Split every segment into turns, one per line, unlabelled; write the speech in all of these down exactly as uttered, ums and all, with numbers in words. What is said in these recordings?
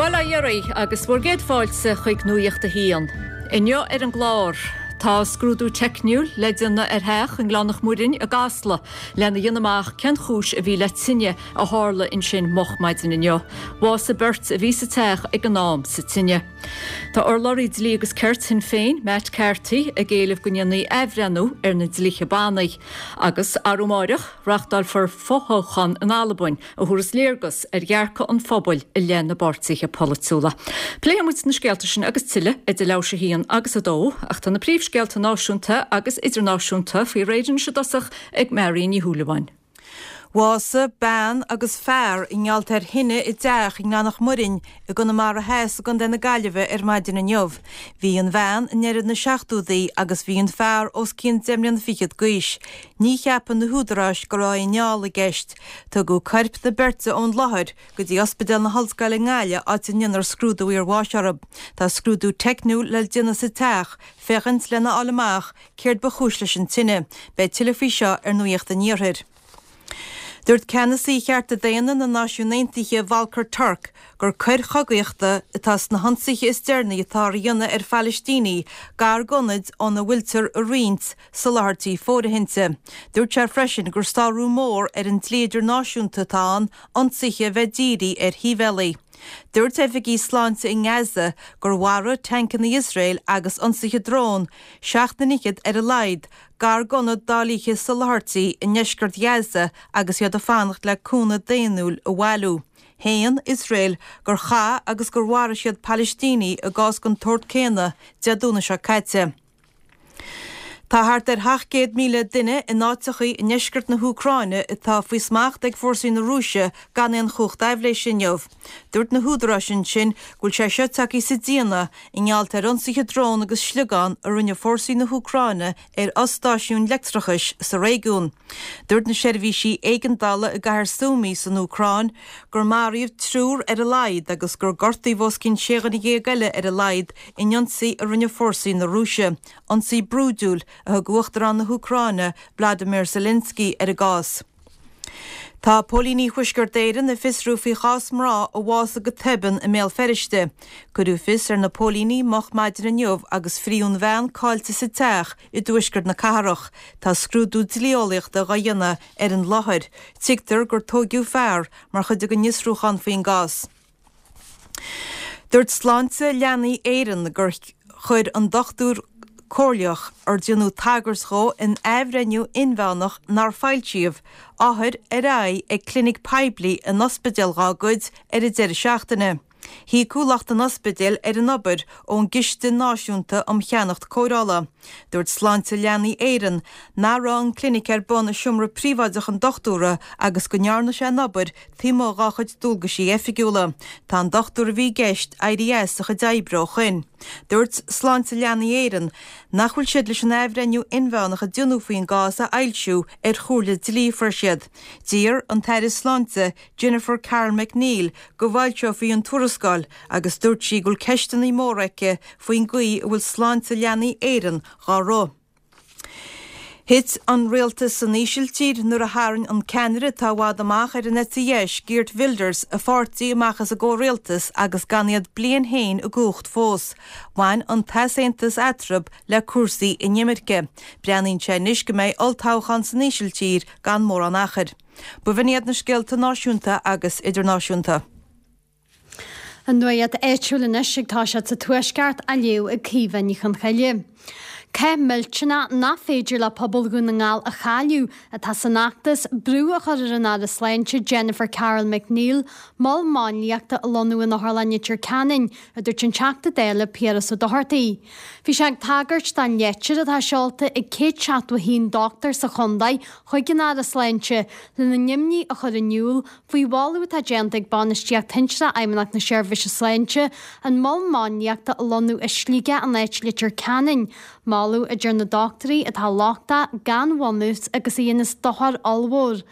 Bail ó Dhia oraibh agus bhur gcéad fáilte chuig Nuacht a hAon. Inniu ar an gclár. Tá scrúdú teicniúil le déanamh ar theach i nGleann Mhuirinn i gCasla lena dhéanamh amach cén chúis a bhí le tine a tharla ansin moch maidin inniu. Bhásaigh beirt a bhí sa teach ag an am sa tine. Tá urlabhraí dlí agus cirt Shinn Féin, Matt Carthy, ag éileamh go ndéanfaí athbhreithniú ar na dlíthe bannaí. Agus arú amárach reáchtálfar fothoghchán in Albain a thabharfas léargas ar dhearcadh an phobail i leith na bpáirtithe polaitiúla. Pléifidh muid na scéalta sin agus tuilleadh idir leathuair tar éis a haon agus a dó, ach tá na príomhscéalta náisiúnta agus idirnáisiúnta faoi réir anois i dtosach ag Mary Ní Shúilleabháin.
Bhásaigh bean agus fear i ngeall ar thine i dteach i nGleann Mhuirinn i gConamara Theas i gContae na Gaillimhe ar maidin inniu. Bhí an bhean i ndeireadh na seachtóidí agus bhí an fear os cionn deich mbliana fichead d'aois. Ní cheapann na húdaráis go raibh inneall i gceist. Tugadh coirp na beirte ón láthair go dtí Ospidéal na hOllscoile i nGaillimh áit a ndéanfar scrúdú iarbháis orthu. Tá scrúdú teicniúil le déanamh sa teach féachaint lena fháil amach céard ba chúis leis an tine. Beidh tuilleadh faoi seo ar Nuacht an Iarthair. Dúirt ceannasaí chearta daonna na Náisiún Aontaithe Volker Turk gur coir chogaíochta atá sna hionsaithe is deireanaí atá á ndéanamh ar Phalaistínigh gar d'ionaid óna bhfuiltear ag roinnt soláthairtí fóirithinte. Dúirt sé freisin gur sárú mór ar an dlí idirnáisiúnta atá ann ionsaithe a bheith dírithe ar shibhialaigh. Dúirt oifigigh sláinte i nGaza gur mharaigh tancanna Iosrael agus ionsaithe drón seacht nduine fhichead ar a laghad gar d'ionad dáilithe soláthairtí i ndeisceart Ghaza agus iad ag fanacht le cúnamh daonnúil a bhailiú. Shéan Iosrael gur chaith agus gur mharaigh siad Palaistínigh i gcás den tsórt céanna Dé Domhnaigh seo caite. Tá thart ar seacht gcéad míle duine in áiteachaí i ndeisceart na hÚcráine atá faoi smacht ag fórsaí na Rúise gan aon chumhacht aibhléise inniu. Dúirt na húdaráis ansin go bhfuil sé seo tagtha sa déanamh i ngeall ar ionsaithe drón agus sliogán a rinne fórsaí na hÚcráine ar fhostáisiúin leictreachais sa réigiún. Dúirt na seirbhísí éigeandála i gcathair Sumy san Úcráin gur maraíodh triúr ar a laghad agus gur gortaíodh os cionn sé dhuine dhéag eile ar a laghad in ionsaí a rinne fórsaí na Rúise. Ionsaí brúidiúil a thug Uachtarán na hÚcráine Vladimir Zelensky ar an gcás. Tá Póilíní Thuaisceart Éireann ag fiosrú faoi chás mná a bhásaigh go tobann i mBéal Feirste. Cuireadh fios ar na póilíní moch maidin inniu agus fríon bhean caillte sa teach i dtuaisceart na cathrach. Tá scrúdú dlí-eolaíochta á dhéanamh ar an láthair. Tuigtear gur tógadh fear mar chuid den fhiosrúchán faoin gcás. Dúirt Sláinte Leanaí Éireann gur chuir an dochtúir comhairleach ar déanadh tagairt dó in athbhreithniú inmheánach nár foilsíodh othair ar aghaidh ag clinic poiblí in ospidéal dá gcuid ar an deireadh seachtaine. Híocadh lucht an ospidéil ar an obair ón gCiste Náisiúnta um Cheannach Cóireála. Dúirt Sláinte Leanaí Éireann nach raibh an clinic ar bun i seomra príobháideach an dochtúra agus go ndearna sé an obair taobh amuigh dá chuid dualgaisí oifigiúla. Tá an dochtúir a bhí i gceist éirithe as a chuid oibre ó shin. Dúirt Sláinte Leanaí Éireann nach bhfuil siad leis an athbhreithniú inmheánach a déanadh faoin gcás a fhoilsiú ar chomhairle dlí a fuair siad. D'iarr an tAire Sláinte Jennifer Carroll MacNeill go bhfoilseofaí an tuarascáil agus dúirt sí go bhfuil ceisteanna móra aici faoin gcaoi a bhfuil Sláinte Leanaí Éireann dhá rith. Thit an rialtas san Ísiltír nuair a tharraing an ceannaire atá i bhfad amach ar an eite dheis Geert Wilders a pháirtí amach as an gcomhrialtas agus gan iad bliain féin i gcumhacht fós. Bhain an t-easaontas eatarthu le cúrsaí inimirce. Breathnaíonn sé anois go mbeidh olltoghchán san Ísiltír gan mórán achair. B'in iad na scéalta náisiúnta agus idirnáisiúnta.
An nuacht áitiúil anois ag toiseacht sa Tuaisceart á léamh ag Caoimhe Ní Chonchoille. Cath millteanach nach féidir le pobal Dhún na nGall a chailleadh atá san fheachtas brú a chur ar an Aire Sláinte Jennifer Carroll MacNeill, mol máinliachta a lonnú in Otharlann Leitir Ceanainn, a dúirt an Teachta Dála Piaras Ó Dochartaigh. Bhí sé ag tagairt don leitir atá seolta ag céad seachtó a haon dochtúir sa chontae chuig an Aire Sláinte lena n-imní a chur in iúl faoi mholadh atá déanta ag bainistíocht shinsearach Fheidhmeannacht na Seirbhíse Sláinte an mol máinliachta a lonnú i Sligeach in áit Leitir Ceanainn, moladh a deir na dochtúirí atá lochtach gan bhunús agus a dhéanas dochar ollmhór.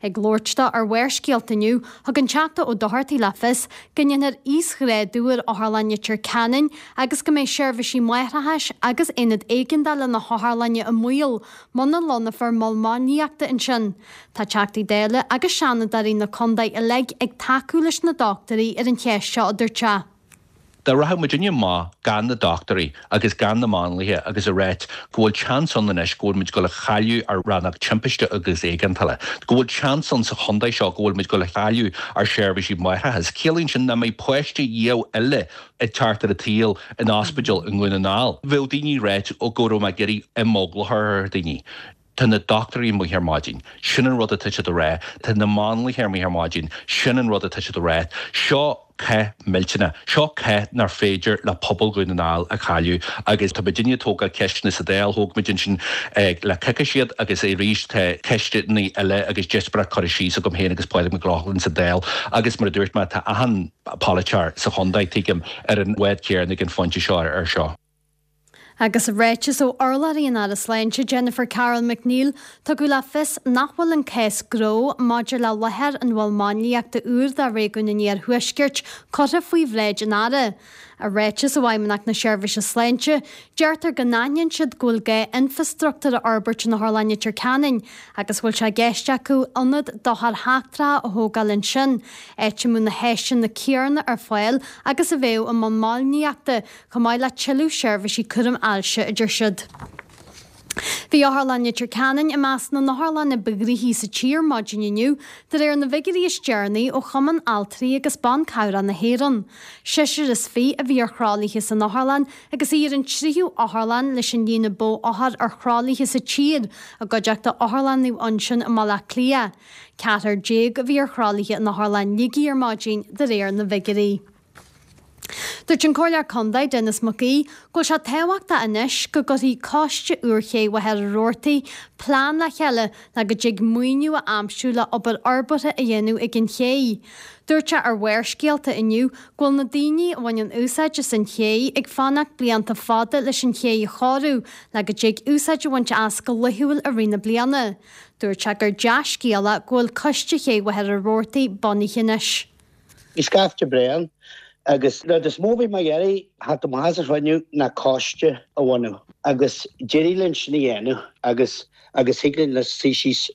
Ag labhairt dó ar Bharrscéalta inniu, thug an Teachta Ó Dochartaigh le fios go ndéanfar íosghrádú ar Otharlann Leitir Ceanainn agus go mbeidh seirbhísí máithreachais agus aonad éigeandála na hotharlainne i mbaol muna lonnófar mol máinliachta ansin. Tá Teachtaí Dála agus Seanadóirí na contae uilig ag tacú leis na dochtúirí ar an cheist seo, a dúirt sé.
Dá rachadh muidinne amach gan na dochtúirí agus gan na máinliacha agus a ráit go bhfuil seans ann anois go bhfuil muid ag dul a chailleadh ár rannóg timpiste agus éigeandála, go bhfuil seans ann sa chontae seo go bhfuil muid ag dul a chailleadh ár seirbhísí máithreachais. Ciallaíonn sin nach mbeidh páiste riamh eile ag teacht ar an tsaol in ospidéal i nDún na nGall. Bheadh daoine ag ráit go raibh mé ag iarraidh imeagla a chur ar dhaoine. Tá na dochtúirí amuigh ar maidin, sin an rud atá siad a rá, tá na máinliacha amuigh ar maidin, sin an rud atá siad a rá. Seo cath millteanach, seo cath nár féidir le pobal Dhún na nGall a chailleadh agus tá muidinne ag tógáil ceisteanna sa Dáil, thóg muid ansin le coicís iad agus arís tá ceisteanna eile agus díospóireacht curtha síos agam féin agus Pádraig Mac Lochlainn sa Dáil agus mar a dúirt mé tá achan polaiteoir sa chontae, tuigim, ar an bhád céanna ag an phointe seo ar seo.
Agus i ráiteas ó urlabhraí an Aire Sláinte Jennifer Carroll MacNeill, tugadh le fios nach bhfuil an cás gnó maidir le láthair an mhoil máinliachta úr do réigiún an Iarthuaiscirt curtha faoi bhráid an Aire. I ráiteas ó Fheidhmeannacht na Seirbhíse Sláinte, deirtear go n-aithníonn siad go bhfuil gá infreastruchtúr a fhorbairt in Otharlann Leitir Ceanainn agus go bhfuil sé i gceist acu ionad d'othair sheachtracha a thógáil ansin, áit a mbeadh na háiseanna céanna ar fáil agus a bheadh i mol máinliachta, chomh maith le tuilleadh seirbhísí cúraim ailse, a deir siad. Bhí Otharlann Leitir Ceanainn i measc na n-otharlanna ba ghnoithí sa tír maidin inniu, de réir na bhfigiúirí is deireanaí ó Chumann Altraí agus Ban Cabhrach na hÉireann. Seisear is fiche a bhí ar thralaithe san otharlann agus í ar an tríú otharlann leis an líon ba mhó othar ar thralaithe sa tír, i gcuideachta Otharlann Naomh Uinseann i mBaile Átha Cliath. Ceathrar déag a bhí ar thralaithe in Otharlann Shligigh ar maidin, de réir na bhfigiúirí. Dúirt an Comhairleoir Contae Denis Mac Aoidh go bhfuil sé tábhachtach anois go gcuirfidh Coiste úr Ché Mhachaire Rabhartaigh plean le chéile le go dtig maoiniú a aimsiú le obair fhorbartha a dhéanamh ag an ché. Dúirt sé ar Bharrscéalta inniu go bhfuil na daoine a bhaineann úsáid as an ché ag fanacht blianta fada leis an ché a chóiriú le go dtig úsáid a bhaint as go laethúil i rith na bliana. Dúirt sé gur dea-scéala go bhfuil Coiste Ché Mhachaire Rabhartaigh bunaithe anois.
Bhí scaifte bréan agus rud is mó bhí mé ag iarraidh theacht amach as an chruinniú ná coiste a bhunú agus d'éirigh linn sin a dhéanamh agus agus thig linn le suí síos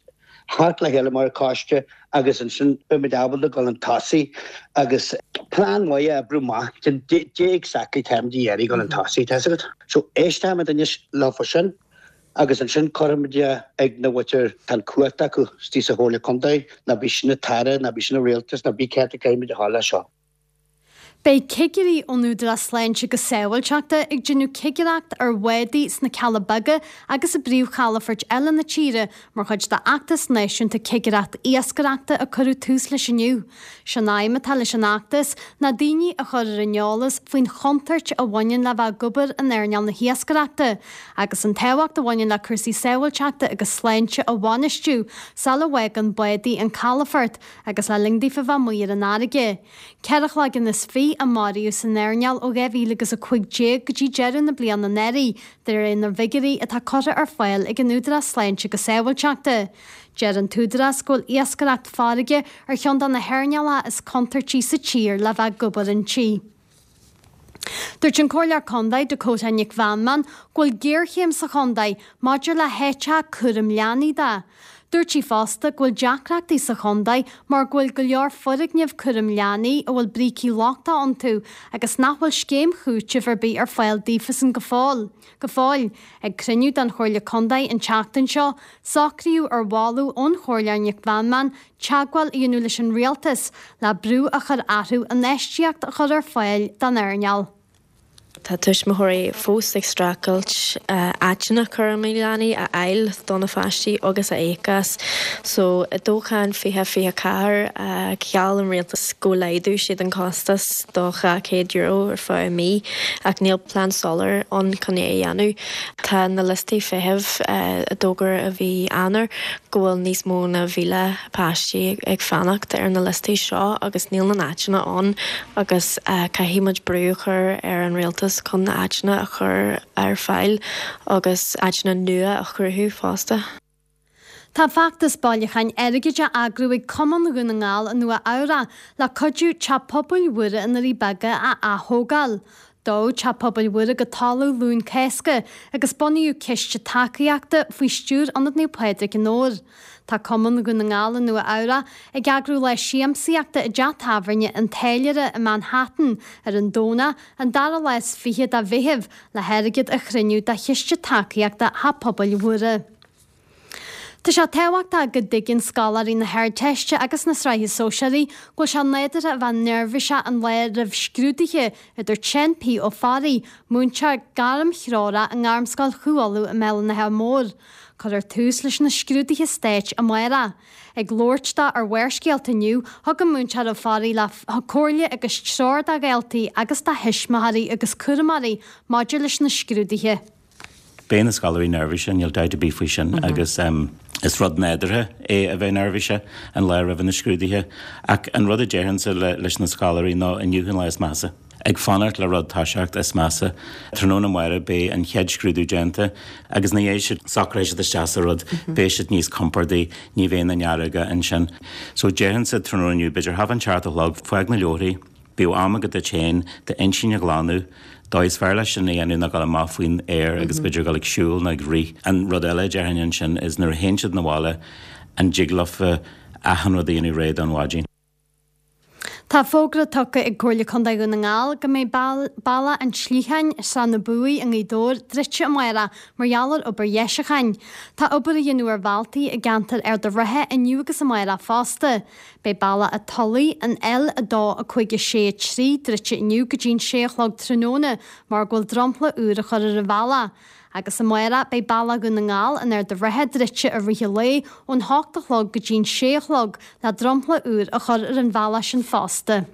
thart le chéile mar choiste agus ansin beimid ábalta dul chun tosaigh agus plean maith a oibriú amach cad é exactly táimid ag iarraidh dul chun tosaigh, tá a fhios agat. So éistfimid anois leofa sin agus ansin cuirfimid é ag na mhuintir tá an chumhacht acu istigh sa Chomhairle Contae, ná bíodh sin an tAire, ná bíodh sin an Rialtas, ná bíodh cé atá caithfimid a fháil leis seo.
Beidh cigirí ón Údarás Sláinte agus Sábháilteachta ag déanamh cigireacht ar bhádaí sna Cealla Beaga agus i bpríomhchalafoirt eile na tíre mar chuid d'fheachtas náisiúnta cigireacht iascaireachta a cuireadh tús leis inniu. Sé'n aidhm atá leis an fheachtas ná daoine a chur ar an eolas faoin chontúirt a bhaineann le bheith ag obair in earnáil na hiascaireachta agus an tábhacht a bhaineann le cúrsaí sábháilteachta agus sláinte a bhainistiú sula bhfágann bádaí an calafort agus le linn daofa bheith amuigh ar an fharraige. Ceithre chloigeann is fiche a maraíodh san earnáil ó dhá mhíle agus a cúig déag go dtí deireadh na bliana anuraidh, de réir na bhfigiúirí atá curtha ar fáil ag an Údarás Sláinte agus Sábháilteachta. Deir an t-údarás go bhfuil iascaireacht farraige ar cheann de na hearnálacha is contúirtí sa tír le bheith ag obair inti. Dúirt an Comhairleoir Contae Dakota Nic Mheanman go bhfuil géarchéim sa chontae maidir le háiteacha cúraim leanaí de. Dúirt sí fosta go bhfuil deacrachtaí sa chontae mar go bhfuil go leor foirgneamh cúraim leanaí a bhfuil brící lochtacha iontu agus nach bhfuil scéim chúitimh ar bith ar fáil daofasan go fóill. Go fóill. Ag cruinniú den Chomhairle Contae an tseachtain seo, socraíodh ar mholadh ón Chomhairleoir Nic Mheanman teagmháil a dhéanamh leis an rialtas le brú a chur orthu infheistíocht a chur ar fáil don earnáil.
Tá tuismitheoirí fós ag streachailt áiteanna cúraim leanaí a fháil do na pháistí agus a íoc as. So i dtoghchán fiche fiche ceathair gheall an rialtas go laghdódh siad an costas do dhá chéad euro ar feadh mí ach níl plean soiléir ann chun é a dhéanamh. Tá na liostaí feithimh a d'fhógair i mhí Eanáir go bhfuil níos mó ná mhíle páistí ag fanacht ar na liostaí seo agus níl na háiteanna ann agus caithfidh muid brú a chur ar an rialtas chun na háiteanna a chur ar fáil agus áiteanna nua a chruthú fosta.
Tá feachtas bailiúcháin airgid á eagrú ag Cumann Dhún na nGall i Nua Eabhrac le cuidiú Teach Pobail Mhuire i nDoirí Beaga a ath-thógáil. Dódh Teach Pobail Mhuire go talamh Luan Cásca agus bunaíodh ciste tacaíochta faoi stiúir Ionad Naomh Pádraig i nDobhar. Tá Cumann Dhún na nGall i Nua Eabhrac ag eagrú lá siamsaíochta i dteach tábhairne an Táilliúra i Manhattan ar an Domhnach, an dara lá is fiche de Mheitheamh, le hairgead a chruinniú do chiste tacaíochta Theach Pobail Mhuire. Tá sé tábhachtach go dtuigeann scoláirí na hArdteiste agus na Sraithe Sóisearaí go bhfuil sé nádúrtha a bheith neirbhíseach an lá roimh scrúduithe, a dúirt Seán P. Ó Fearraigh, múinteoir gairmthreorach i nGairmscoil Chú Uladh i mBéal an Átha Móir. Cuirfear tús leis na scrúduithe stáit amárach. Ag labhairt dó ar Bharrscéalta inniu, thug an Múinteoir Ó Fearraigh le comhairle agus treoir do dhaltaí agus do thuismitheoirí agus cúramóirí maidir leis na scrúduithe.
Beidh na scoláirí neirbhíseach, níl dabht ar bith faoi sin, agus is rud nádúrtha é a bheith neirbhíseach an lá roimh na scrúduithe. Ach an rud a déarfainnse leis na scoláirí ná inniu an lá is measa. Ag fanacht le rud toiseacht is measa. Tráthnóna amárach beidh an chéad scrúdú déanta agus ina dhiaidh sin socróidh siad isteach sa rud, beidh siad níos compordaí, ní bheidh na nearóga ansin. So déarfainnse tráthnóna inniu, b'fhéidir half an seacht a chlog, fág na leabharthaí, bíodh am agat duit féin d'intinn a ghlanadh, dóigh is fearr leis sin a dhéanamh ná dul amach faoin aer agus b'fhéidir dul ag siúl nó ag rith. An rud eile a déarfainn ansin is nuair a théann siad 'na bhaile an dtig leofa achan rud a dhéanamh réidh don mhaidin.
Tá fógra tugtha ag Comhairle Contae Dhún na nGall go mbeidh Bealach an tSliacháin, Srath na Buaidhe i nGaoth Dobhair druidte amárach mar gheall ar obair dheisiúcháin. Tá obair á dhéanamh ar bhealtaí i gceantar Ard an Rátha inniu agus amárach fosta. Beidh Bealach an Tulaigh, an L a dó a cúig a sé a trí, druidte inniu go dtí an sé a chlog tráthnóna mar go bhfuil dromchla úr á chur ar an bhealach. Agus amárach beidh Bealach Dhún na nGall in Ard an Rátha druidte i rith an lae ón hocht a chlog go dtí an sé a chlog le dromchla úr a chur ar an bhealach sin fosta.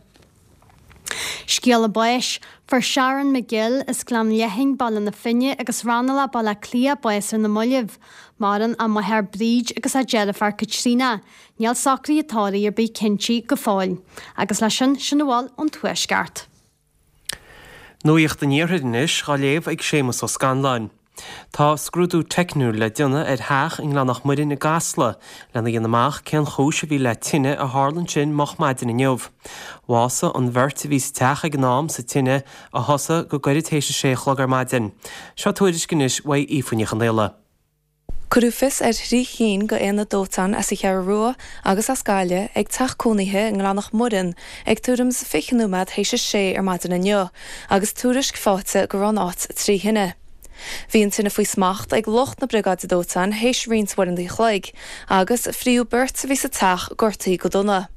Scéala báis, Fuair Sharon McGill as Gleann Leathain, Baile na Finne agus Raghnallach, Baile Átha Cliath, bás ar na mallaibh. Maireann a máthair Bríd agus a deirfiúr Caitríona. Níl socruithe tórraimh ar bith cinnte go fóill. Agus leis sin, sin a bhfuil ón Tuaisceart.
Nuacht an Iarthair anois á léamh ag Séamus Ó Scanláin. Tá scrúdú teicniúil le déanamh ar theach i nGleann Muirinn i gCasla lena dhéanamh amach cén chúis a bhí le tine a tharla ansin moch maidin inniu. Bhásaigh an bheirt a bhí sa teach ag an am sa tine a thosaigh go gairid théis a sé a chlog ar maidin. Seo tuairisc anois uaidh Aoife Ní Chonfhaola.
Cuireadh fios ar thrí chinn d'aonaid dóiteáin as an Cheathrú Rua agus as Gaillimh ag teach cónaithe i nGleann Muireann ag tuairim is fiche nóiméad théis a sé ar maidin inniu, agus tuairisc faighte go raibh an áit trí thine. Bhí an tine faoi smacht ag lucht na briogáide dóiteáin théis roinnt uaireanta an chloig, agus fríodh beirt a bhí sa teach gortaithe go dona.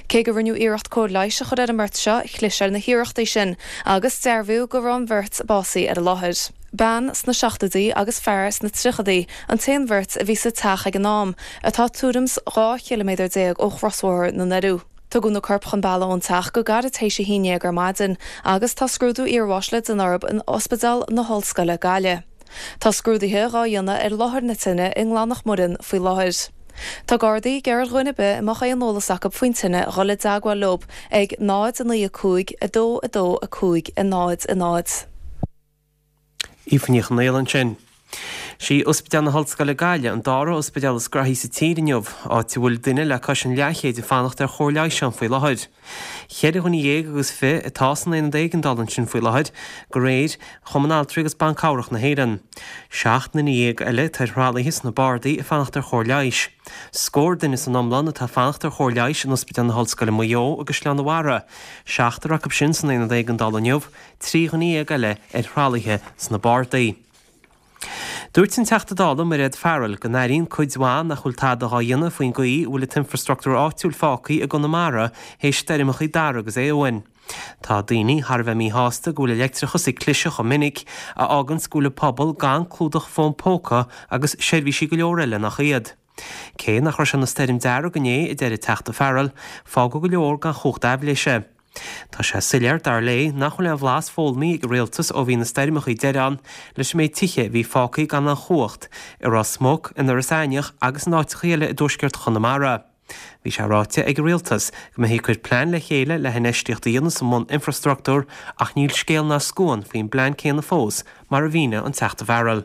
Cé go rinneadh iarracht cóir leighis a chur ar an mbeirt seo, chlis ar na hiarrachtaí sin, agus dearbhaíodh go raibh an bheirt básaithe ar an láthair. Bean sna seachtóidí agus fear sna tríochaidí an t-aon bheirt a bhí sa teach ag an am, atá tuairim is dhá chiliméadar déag ó chrosbhóthar na nDoirí. Tugadh na coirp chun bealaigh ón teach go gairid théis a haon déag ar maidin agus tá scrúdú iarbháis le déanamh orthu in Ospidéal na hOllscoile, Gaillimh. Tá scrúduithe dhá dhéanamh ar láthair na tine i nGleann Muireann faoi láthair. Tá Gardaí ag iarraidh ar dhuine ar bith a mbeadh aon eolas acu faoin tine dhul i dteagmháil leo ag náid a naoi a cúig a dó a dó a cúig a náid a náid.
Aoife Ní Chonfhaola ansin. Sí Ospidéal na hOllscoile Gaillimh an dara ospidéal is graithí sa tír inniu, áit a bhfuil duine le cois an leathchéid ag fanacht ar chóir leighis ann faoi láthair. Ceithre dhuine dhéag agus fiche atá san aonad éigeandála ansin faoi láthair, de réir Chumann Altraí agus Ban Cabhrach na hÉireann. Seacht nduine dhéag eile atá ar thralaithe sna bardaí ag fanacht ar chóir leighis. Scór duine san iomlán atá ag fanacht ar chóir leighis in Ospidéal na hOllscoile Maigh Eo agus Oileán Mhara. Seachtar acu sin san aonad éigeandála inniu, trí dhuine dhéag eile ar thralaithe sna bardaí. Dúirt an Teachta Dála Mairéad Farrell go n-airíonn cuid mhaith nach bhfuil tada á dhéanamh faoin gcaoi a bhfuil an t-infreastruchtúr áitiúil fágtha i gConamara théis stoirmeacha Dara agus Éowyn. Tá daoine thar a bheith míshásta go bhfuil an leictreachas ag cliseadh chomh minic, a fháganns go bhfuil an pobal gan clúdach fón póca agus seirbhísí go leor eile nach iad. Cé nach raibh sé ina stoirm dearg inné, a deir an Teachta Farrell, fágadh go leor gan chumhacht aibhléise. Tá sé soiléir, dar léi, nach bhfuil aon bhlas foghlamtha ag an rialtas ó bhí na stoirmeacha deiridh ann leis an méid tithe a bhí fágtha gan aon chumhacht i Ros Muc, in Iorras Aithneach agus in áiteacha eile i dtuaisceart Chonamara. Bhí sé ráite ag an rialtas go mbeifí ag cur plean le chéile le hinfheistíocht a dhéanamh sa mbun-infreastruchtúr ach níl scéal ná scuan faoin bplean céanna fós, mar a mhínigh an Teachta Farrell.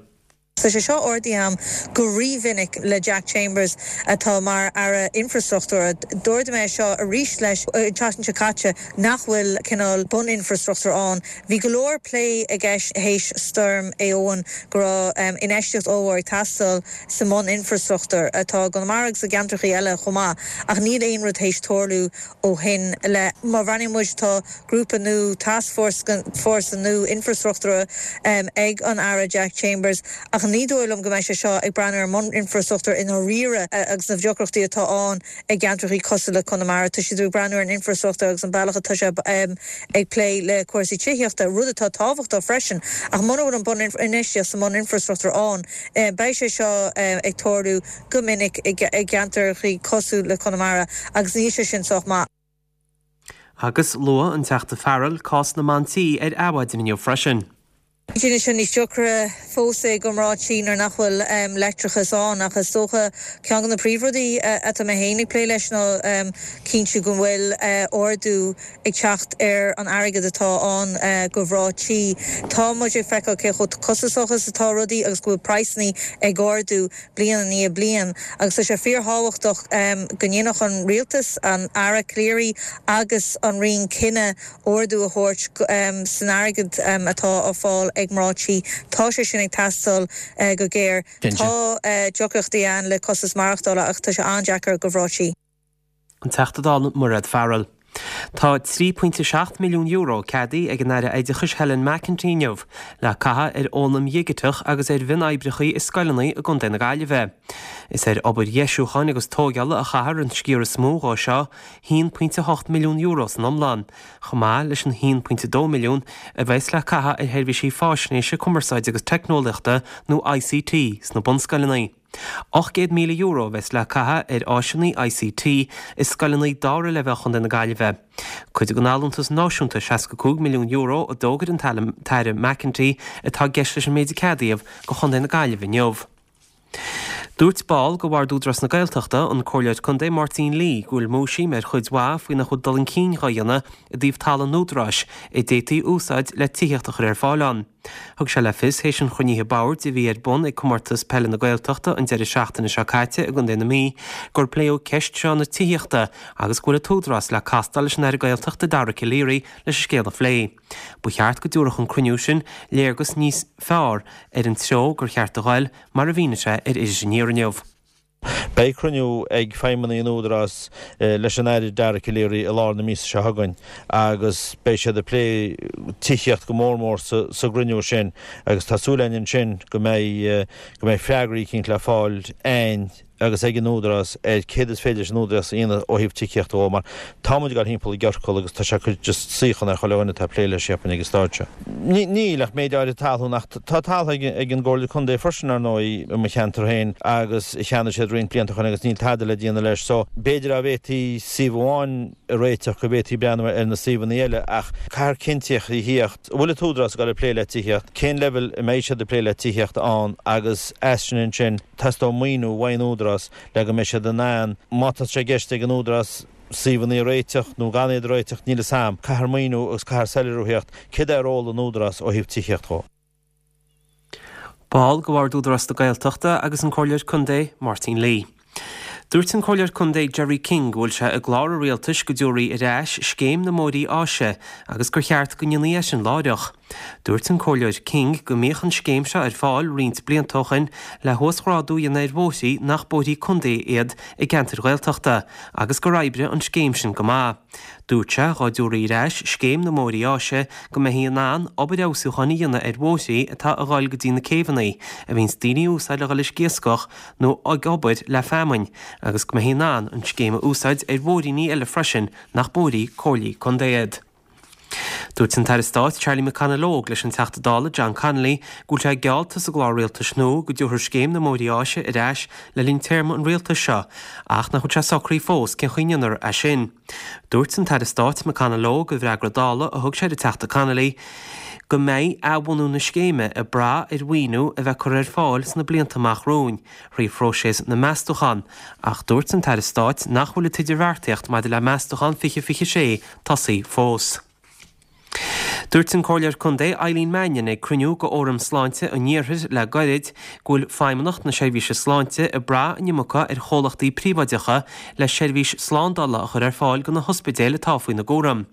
Tá sé seo ardaithe agam go rímhinic le Jack Chambers atá mar Aire Infreastruchtúir. D'ardaigh mé seo arís leis an tseachtain seo caite nach bhfuil cineál buninfreastruchtúr ann. Bhí go leor plé i gceist théis Stoirm Éowyn go raibh infheistíocht ollmhór ag teastáil sa mbuninfreastruchtúr atá i gConamara agus i gceantracha eile chomh maith ach níl aon rud théis tarlú ó shin le. Má bhreathnaíonn muid tá grúpa nua tascfhórsa fórsa nua infreastruchtúra ag an Aire Jack Chambers ach ní dóigh liom go mbeidh sé seo ag breathnú ar an mbuninfreastruchtúr i ndáiríre agus na deacrachtaí atá ann i gceantracha cosúil le Conamara. Tá siad ag breathnú ar an infreastruchtúr agus an bealach atá sé ag plé le cúrsaí tithíochta, rud atá tábhachtach freisin ach muna bhfuil an buninfheistíocht sa mbuninfreastruchtúr ann, beidh sé seo ag tarlú go minic i gceantracha cosúil le Conamara agus níl sé sin sách maith.
Agus luaigh an Teachta Farrell cás na mban tí ar Adhmhaidin inniu freisin.
Déanann sé níos deacra fós é do mhná tí nuair nach bhfuil leictreachas ann ach is dócha ceann de na príomhrudaí atá mé féin ag plé leis ná cinntiú go bhfuil ardú ag teacht ar an airgead atá ann do mhná tí. Tá muid ag feiceáil cé chomh costasach is atá rudaí agus go bhfuil praghsanna ag ardú bliain i ndiaidh bliain agus tá sé fíorthábhachtach go ndéanfadh an rialtas, an Aire Calleary agus an Roinn cinneadh ardú a thabhairt san airgead atá á fáil ag mná tí. Tá sé sin ag teastáil go géar. Tá deacrachtaí ann le costas maireachtála ach tá sé an-deacair do mhná tí.
An Teachta Dála Mairéad Farrell. Tá trí pointe seacht milliún euro ceadaithe ag an Aire Oideachais Helen McEntee inniu le caitheamh ar fhoghlaim dhigiteach agus ar mhionoibreacha i scoileanna i gContae na Gaillimhe. Is ar obair dheisiúcháin agus tógála a chaithfear an sciar is mó dhó seo, haon pointe hocht milliún euro san iomlán, chomh maith leis an haon pointe dó milliún a bheas le caitheamh ar sheirbhísí faisnéise, cumarsáide agus teicneolaíochta nó I C T sna bunscoileanna. Ocht gcéad míle euro a bheas le caitheamh ar áiseanna I C T i scoileanna dara leibhéal Chontae na Gaillimhe. Cuid den allúntas náisiúnta seasca cúig milliún euro a d'fhógair an tAire McEntee atá i gceist leis an méid a ceadaíodh do Chontae na Gaillimhe inniu. Dúirt ball de Bhord Údarás na Gaeltachta, an Comhairleoir Contae Máirtín Lee, go bhfuil múisiam ar chuid mhaith faoi nach bhfuil dul chun cinn dhá dhéanamh i dtaobh talamh an Údaráis a d'fhéadfaí a úsáid le tithíocht a chur ar fáil ann. Thug sé le fios théis an chruinnithe boird a bhí ar bun ag Comórtas Peile na Gaeltachta an deireadh seachtaine seo caite i gContae na Mí gur pléadh ceist seo na tithíochta agus go bhfuil an tÚdarás le castáil leis an Aire Gaeltachta Dara Calleary leis an scéal a phlé. Ba cheart go dtabharfadh an cruinniú sin léargas níos fearr ar an treo gur cheart a ghoil mar a mhínigh sé ar Iris Aniar inniu.
Beidh cruinniú ag feidhmeannaigh an Údarás leis an Aire Dara Calleary i lár na míosa seo chugainn agus beidh siad ag plé tithíocht go mór mór sa gcruinniú sin agus tá súil againn ansin go mbeidh go mbeidh freagraí eicínt le fáil againn agus ag an Údarás ar céard is féidir leis an Údarás a dhéanamh ó thaobh tithíochta dhó mar tá muid ag dul thimpeall i gciorcal agus tá sé ag cur just suíochán ar chuile dhuine atá ag plé leis cheapfainn ag an staid seo. Níl ach méid áirithe talún ach tá talamh ag ag an gComhairle Contae freisin ar ndóigh i mo cheantar féin agus a cheannaigh siad roinnt blianta ó shin agus níl tada le déanamh leis so b'fhéidir dá bhféadfaí suíomh amháin a réiteach go bhféadfaí breathnú ar na suíomhanna eile ach caithfear cinnteacht a theacht. An bhfuil an tÚdarás ag dul ag plé le tithíocht? Cén leibhéal a mbeidh siad ag plé le tithíocht ann agus as sin ansin teastóidh maoiniú uaidh an Údarás le go mbeidh siad in ann, má tá sé i gceist ag an Údarás suíomhanna a réiteach nó gan iad a réiteach, níl 'fhios a'm, caithfear maoiniú agus caithfear soiléiriú a theacht céard é ról an Údarás ó thaobh tithíocht dhó.
Ball de Bhord Údarás na Gaeltachta agus an Comhairleoir Contae Máirtín Lee. Dúirt an Comhairleoir Contae Jerry King go bhfuil sé i gclár an rialtais go dtabharfaí ar ais scéim na mbóithrí áise agus gur cheart go ndéanfaí é sin láithreach. Dúirt an Comhairleoir King go mbíodh an scéim seo ar fáil roinnt blianta ó shin le huasghrádú a dhéanamh ar bhóithrí nach bóithrí contae iad i gceantair Ghaeltachta agus gur oibrigh an scéim sin go maith. Dúirt sé dhá dtabharfaí ar ais scéim na mbóithrí áise go mbeifí in ann obair fheabhsúcháin a dhéanamh ar bhóithrí atá ag dul go dtí na céibheanna a bhíonns daoine a úsáid le dhul ag iascach nó ag obair le feamainn agus go mbeifí in ann an scéim a úsáid ar bhóithríní eile freisin nach bóithrí comhairlí contae iad. Dúirt an tAire Stáit Charlie McConalogue leis an Teachta Dála John Connolly go bhfuil sé geallta sa gclár rialtais nua go dtabharfar scéim na mbóithrí áise ar ais le linn téarma an rialtais seo ach nach bhfuil sé socraithe fós cén chaoi a ndéanfar é sin. Dúirt an tAire Stáit McConalogue i bhfreagra Dála a thug sé don Teachta Connolly go mbeidh athbhunú na scéime ag brath ar mhaoiniú a bheith curtha ar fáil sna blianta amach romhainn thrí phróiseas na meastúchán, ach dúirt an tAire Stáit nach bhfuil an t-idirbheartaíocht maidir le meastúchán fiche fiche sé tosaithe fós. Dúirt an Comhairleoir Contae Eileen Mannion ag cruinniú de Fhóram Sláinte an Iarthair le gairid go bhfuil Feidhmeannacht na Seirbhíse Sláinte ag brath an iomarca ar chomhlachtaí príobháideacha le seirbhís slándála a chur ar fáil do na hospidéil atá faoina gcúram.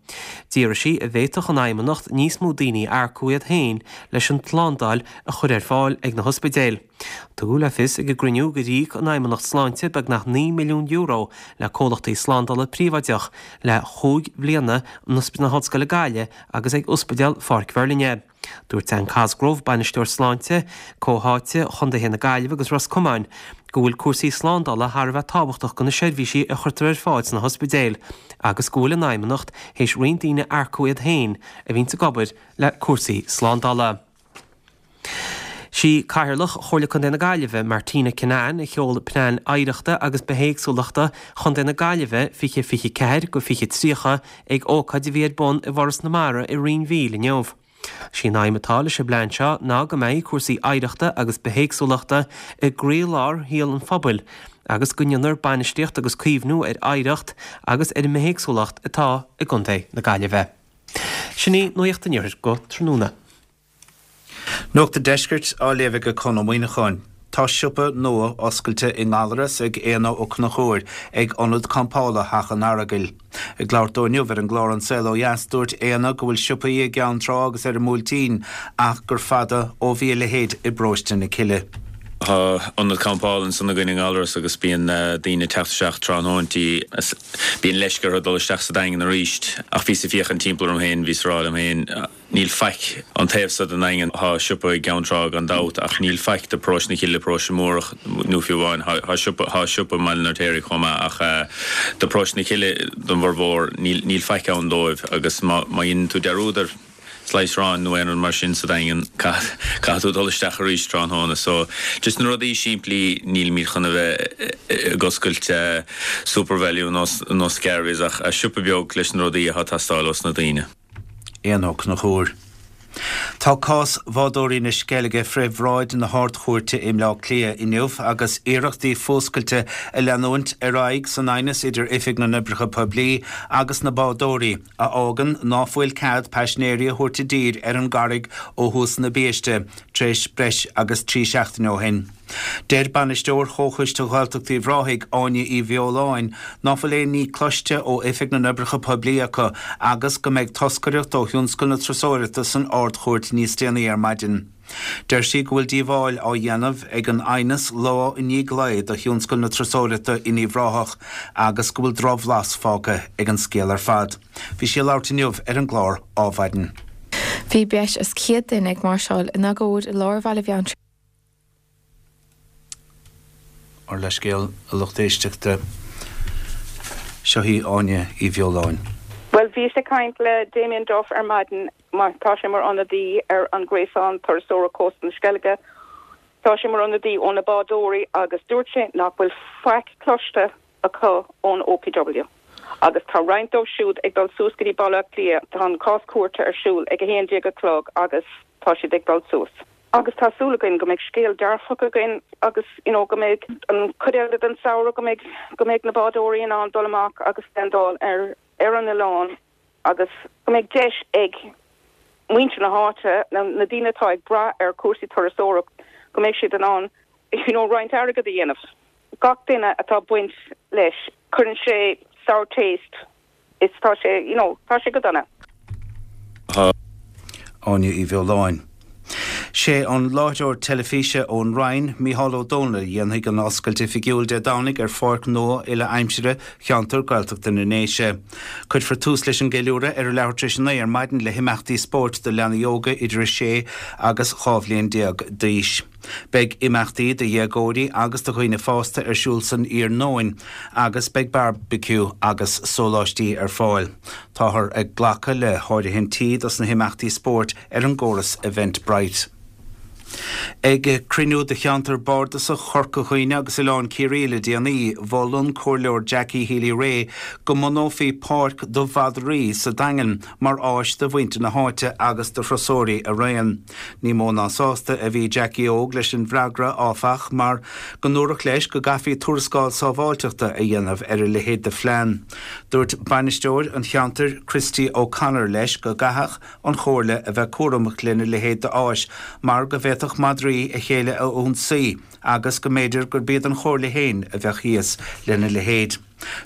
D'fhiafraigh sí an bhféadfadh an Fheidhmeannacht níos mó daoine a earcú iad féin leis an tslándáil a chur ar fáil ag na hospidéil. Tugadh le fios ag an gcruinniú gur íoc an Fheidhmeannacht Sláinte beagnach naoi milliún euro le comhlachtaí slándála príobháideach le chúig bhliana in Ospidéal na hOllscoile Gaillimh agus ag Ospidéal Pháirc Mheirlinne. Dúirt Anne Cosgrove, Bainisteoir Sláinte Comhtháite Chontaetha na Gaillimhe agus Ros Comáin, go bhfuil cúrsaí slándála thar a bheith tábhachtach do na seirbhísí a chuirtear ar fáil sna hospidéil agus go bhfuil an Fheidhmeannacht théis roinnt daoine a earcú iad féin a bhíonns ag obair le cúrsaí slándála. Sí Cathaoirleach Chomhairle Contae na Gaillimhe, Martina Kinane, a sheol Plean Oidhreachta agus Bithéagsúlachta Chontae na Gaillimhe fiche fiche ceathair go fiche tríocha ag ócáid a bhí ar bun i bhForas na Mara i Rinn Mhíl inniu. Sí an aidhm atá leis an bplean seo ná go mbeidh cúrsaí oidhreachta agus bithéagsúlachta i gcroílár shaol an phobail agus go ndéanfar bainistíocht agus caomhnú ar oidhreacht agus ar an mbithéagsúlacht atá i gContae na Gaillimhe. Sin í Nuacht an Iarthair go tráthnóna.
Nuacht an Deiscirt á léamh ag Conn Ó Muíneacháin. Tá siopa nua oscailte i nGallaras ag Éanna Ó Conchúir ag Ionad Campála Theach an Earagail. Ag labhairt dó inniu ar an gclár An Saol Ó Dheas, dúirt Éanna go bhfuil siopaí i gCeann Trá agus ar an mBuailtín ach gur fada ó bhí a leithéid i bparóiste na Cille.
Tá ionad campála ansan againn i nGallaras agus bíonn daoine ag teacht isteach tráthnóintí. Bíonn leisce orthu dul isteach sa Daingean arís. Ach bhíos ag féachaint timpeall orm féin, bhíos ag rá liom féin, níl faic an taobh so den Daingean. Tá siopa i gCeann Trá gan dabht ach níl faic do Paróiste na Cille, Paróiste Múrach nó fiú amháin. Tá siopa, tá siopa i mBaile an Fheirtéaraigh chomh maith ach do Paróiste na Cille don bhformhór níl, níl faic ann dóibh agus má, má dhéanann tú dearúd ar slice aráin nó aon rud mar sin sa Daingean, caithfidh tú dul isteach arís tráthnóna. So, just na rudaí simplí, nílimid chun a bheith ag oscailt Supervalu nó nó Scarries ach siopa beag leis na rudaí atá ag teastáil ós na daoine.
Éanna Ó Conchúir. Tá cás bhádóirí na Sceilge fré bhráid na hArd-Chúirte i mBleá Cliath inniu agus iarrachtaí fuascailte ag leanúint ar aghaidh san aighneas idir Oifig na nOibreacha Poiblí agus na bádóirí, a fhágann ná fuil cead paisinéirí a thabhairt i dtír ar an gCarraig ó thús na biaiste tar éis breis agus trí seachtaine ó shin. Deir Bainisteoir Chomhchoiste Ghaeltacht Uíbh Ráthaigh, Áine Uí Bheoláin, ná fuil aon ní cloiste ó Oifig na nOibreacha Poiblí acu agus go mbeidh toscaireacht ó thionscal na turasóireachta san Ard-Chúirt níos déanaí ar maidin. Deir sí go bhfuil díobháil á dhéanamh ag an aighneas lá i ndiaidh lae do thionscal na turasóireachta in Uíbh Ráthach agus go bhfuil drochbhlas fágtha ag an scéal ar fad. Bhí sí ag labhairt inniu ar an gclár Ádhmhaidin.
Bhí breis is céad duine ag máirseáil in agóid i lár Bhaile Bheanntraí.
Ár leithscéal, a lucht éisteachta. Seo í Áine Uí Bheoláin.
Bhuel, bhíos ag caint le Damien Duff ar maidin, mar tá sé mar ionadaí ar an Gréasán Turasóireachta Cósta na Sceilge. Tá sé mar ionadaí ó na bádóirí agus dúirt sé nach bhfuil faic cloiste acu ón OPW. Agus tá roinnt dóibh siúd ag dul suas go dtí Baile Átha Cliath. Tá an cás cúirte ar siúl ag a haon déag a chlog agus tá siad ag dul suas. Agus tá súil againn go mbeidh scéal dearfach againn agus you know go mbeidh an chuid eile den samhradh go mbeidh go mbeidh na bádóirí in ann dul amach agus landáil ar ar an oileán agus go mbeidh deis ag muintir na háite, na na daoine atá ag brath ar chúrsaí turasóireacht, go mbeidh siad in ann you know roinnt airgead a dhéanamh. Gach duine atá baint leis, cuireann sé sour taste is tá sé you know tá sé go dona.
Áine Uí Bheoláin. Sé an láithreoir teilifíse ón Rinn, Mícheál Ó Domhnaill, a dhéanfaidh an oscailt oifigiúil Dé Domhnaigh ar pháirc nua uile-aimsire cheantar Gaeltachta na nDéise. Cuirfear tús leis an gceiliúradh ar a leathuair tar éis a naoi ar maidin le himeachtaí spóirt do leanaí óga idir a sé agus dhá bhliain déag d'aois. Beidh imeachtaí do dhéagóirí agus do dhaoine fásta ar siúl san iarnóin agus beidh bearbaiciú agus sóláistí ar fáil. Táthar ag glacadh le háirithintí dos na himeachtaí spóirt ar an gcóras Eventbrite. Ag cruinniú de cheantar bardasach Chorca Dhuibhne agus Oileán Ciarraí le déanaí, mhol an Comhairleoir Jackie Healy-Rae go mbunófaí páirc do mhadraí sa Daingean mar áis do mhuintir na háite agus do thurasóirí araon. Ní mó ná sásta a bhí Jackie Óg leis an bhfreagra, áfach, mar go ndúradh leis go gcaithfí tuarascáil sábháilteachta a dhéanamh ar a leithéid de phlean. Dúirt bainisteoir an cheantair Christy O'Connor leis go gcaithfeadh an Chomhairle a bheith cúramach lena leithéid d'áis mar go bhféadfadh madraí a chéile a ionsaí agus go mb'fhéidir gurb iad an Chomhairle féin a bheadh thíos lena leithéid.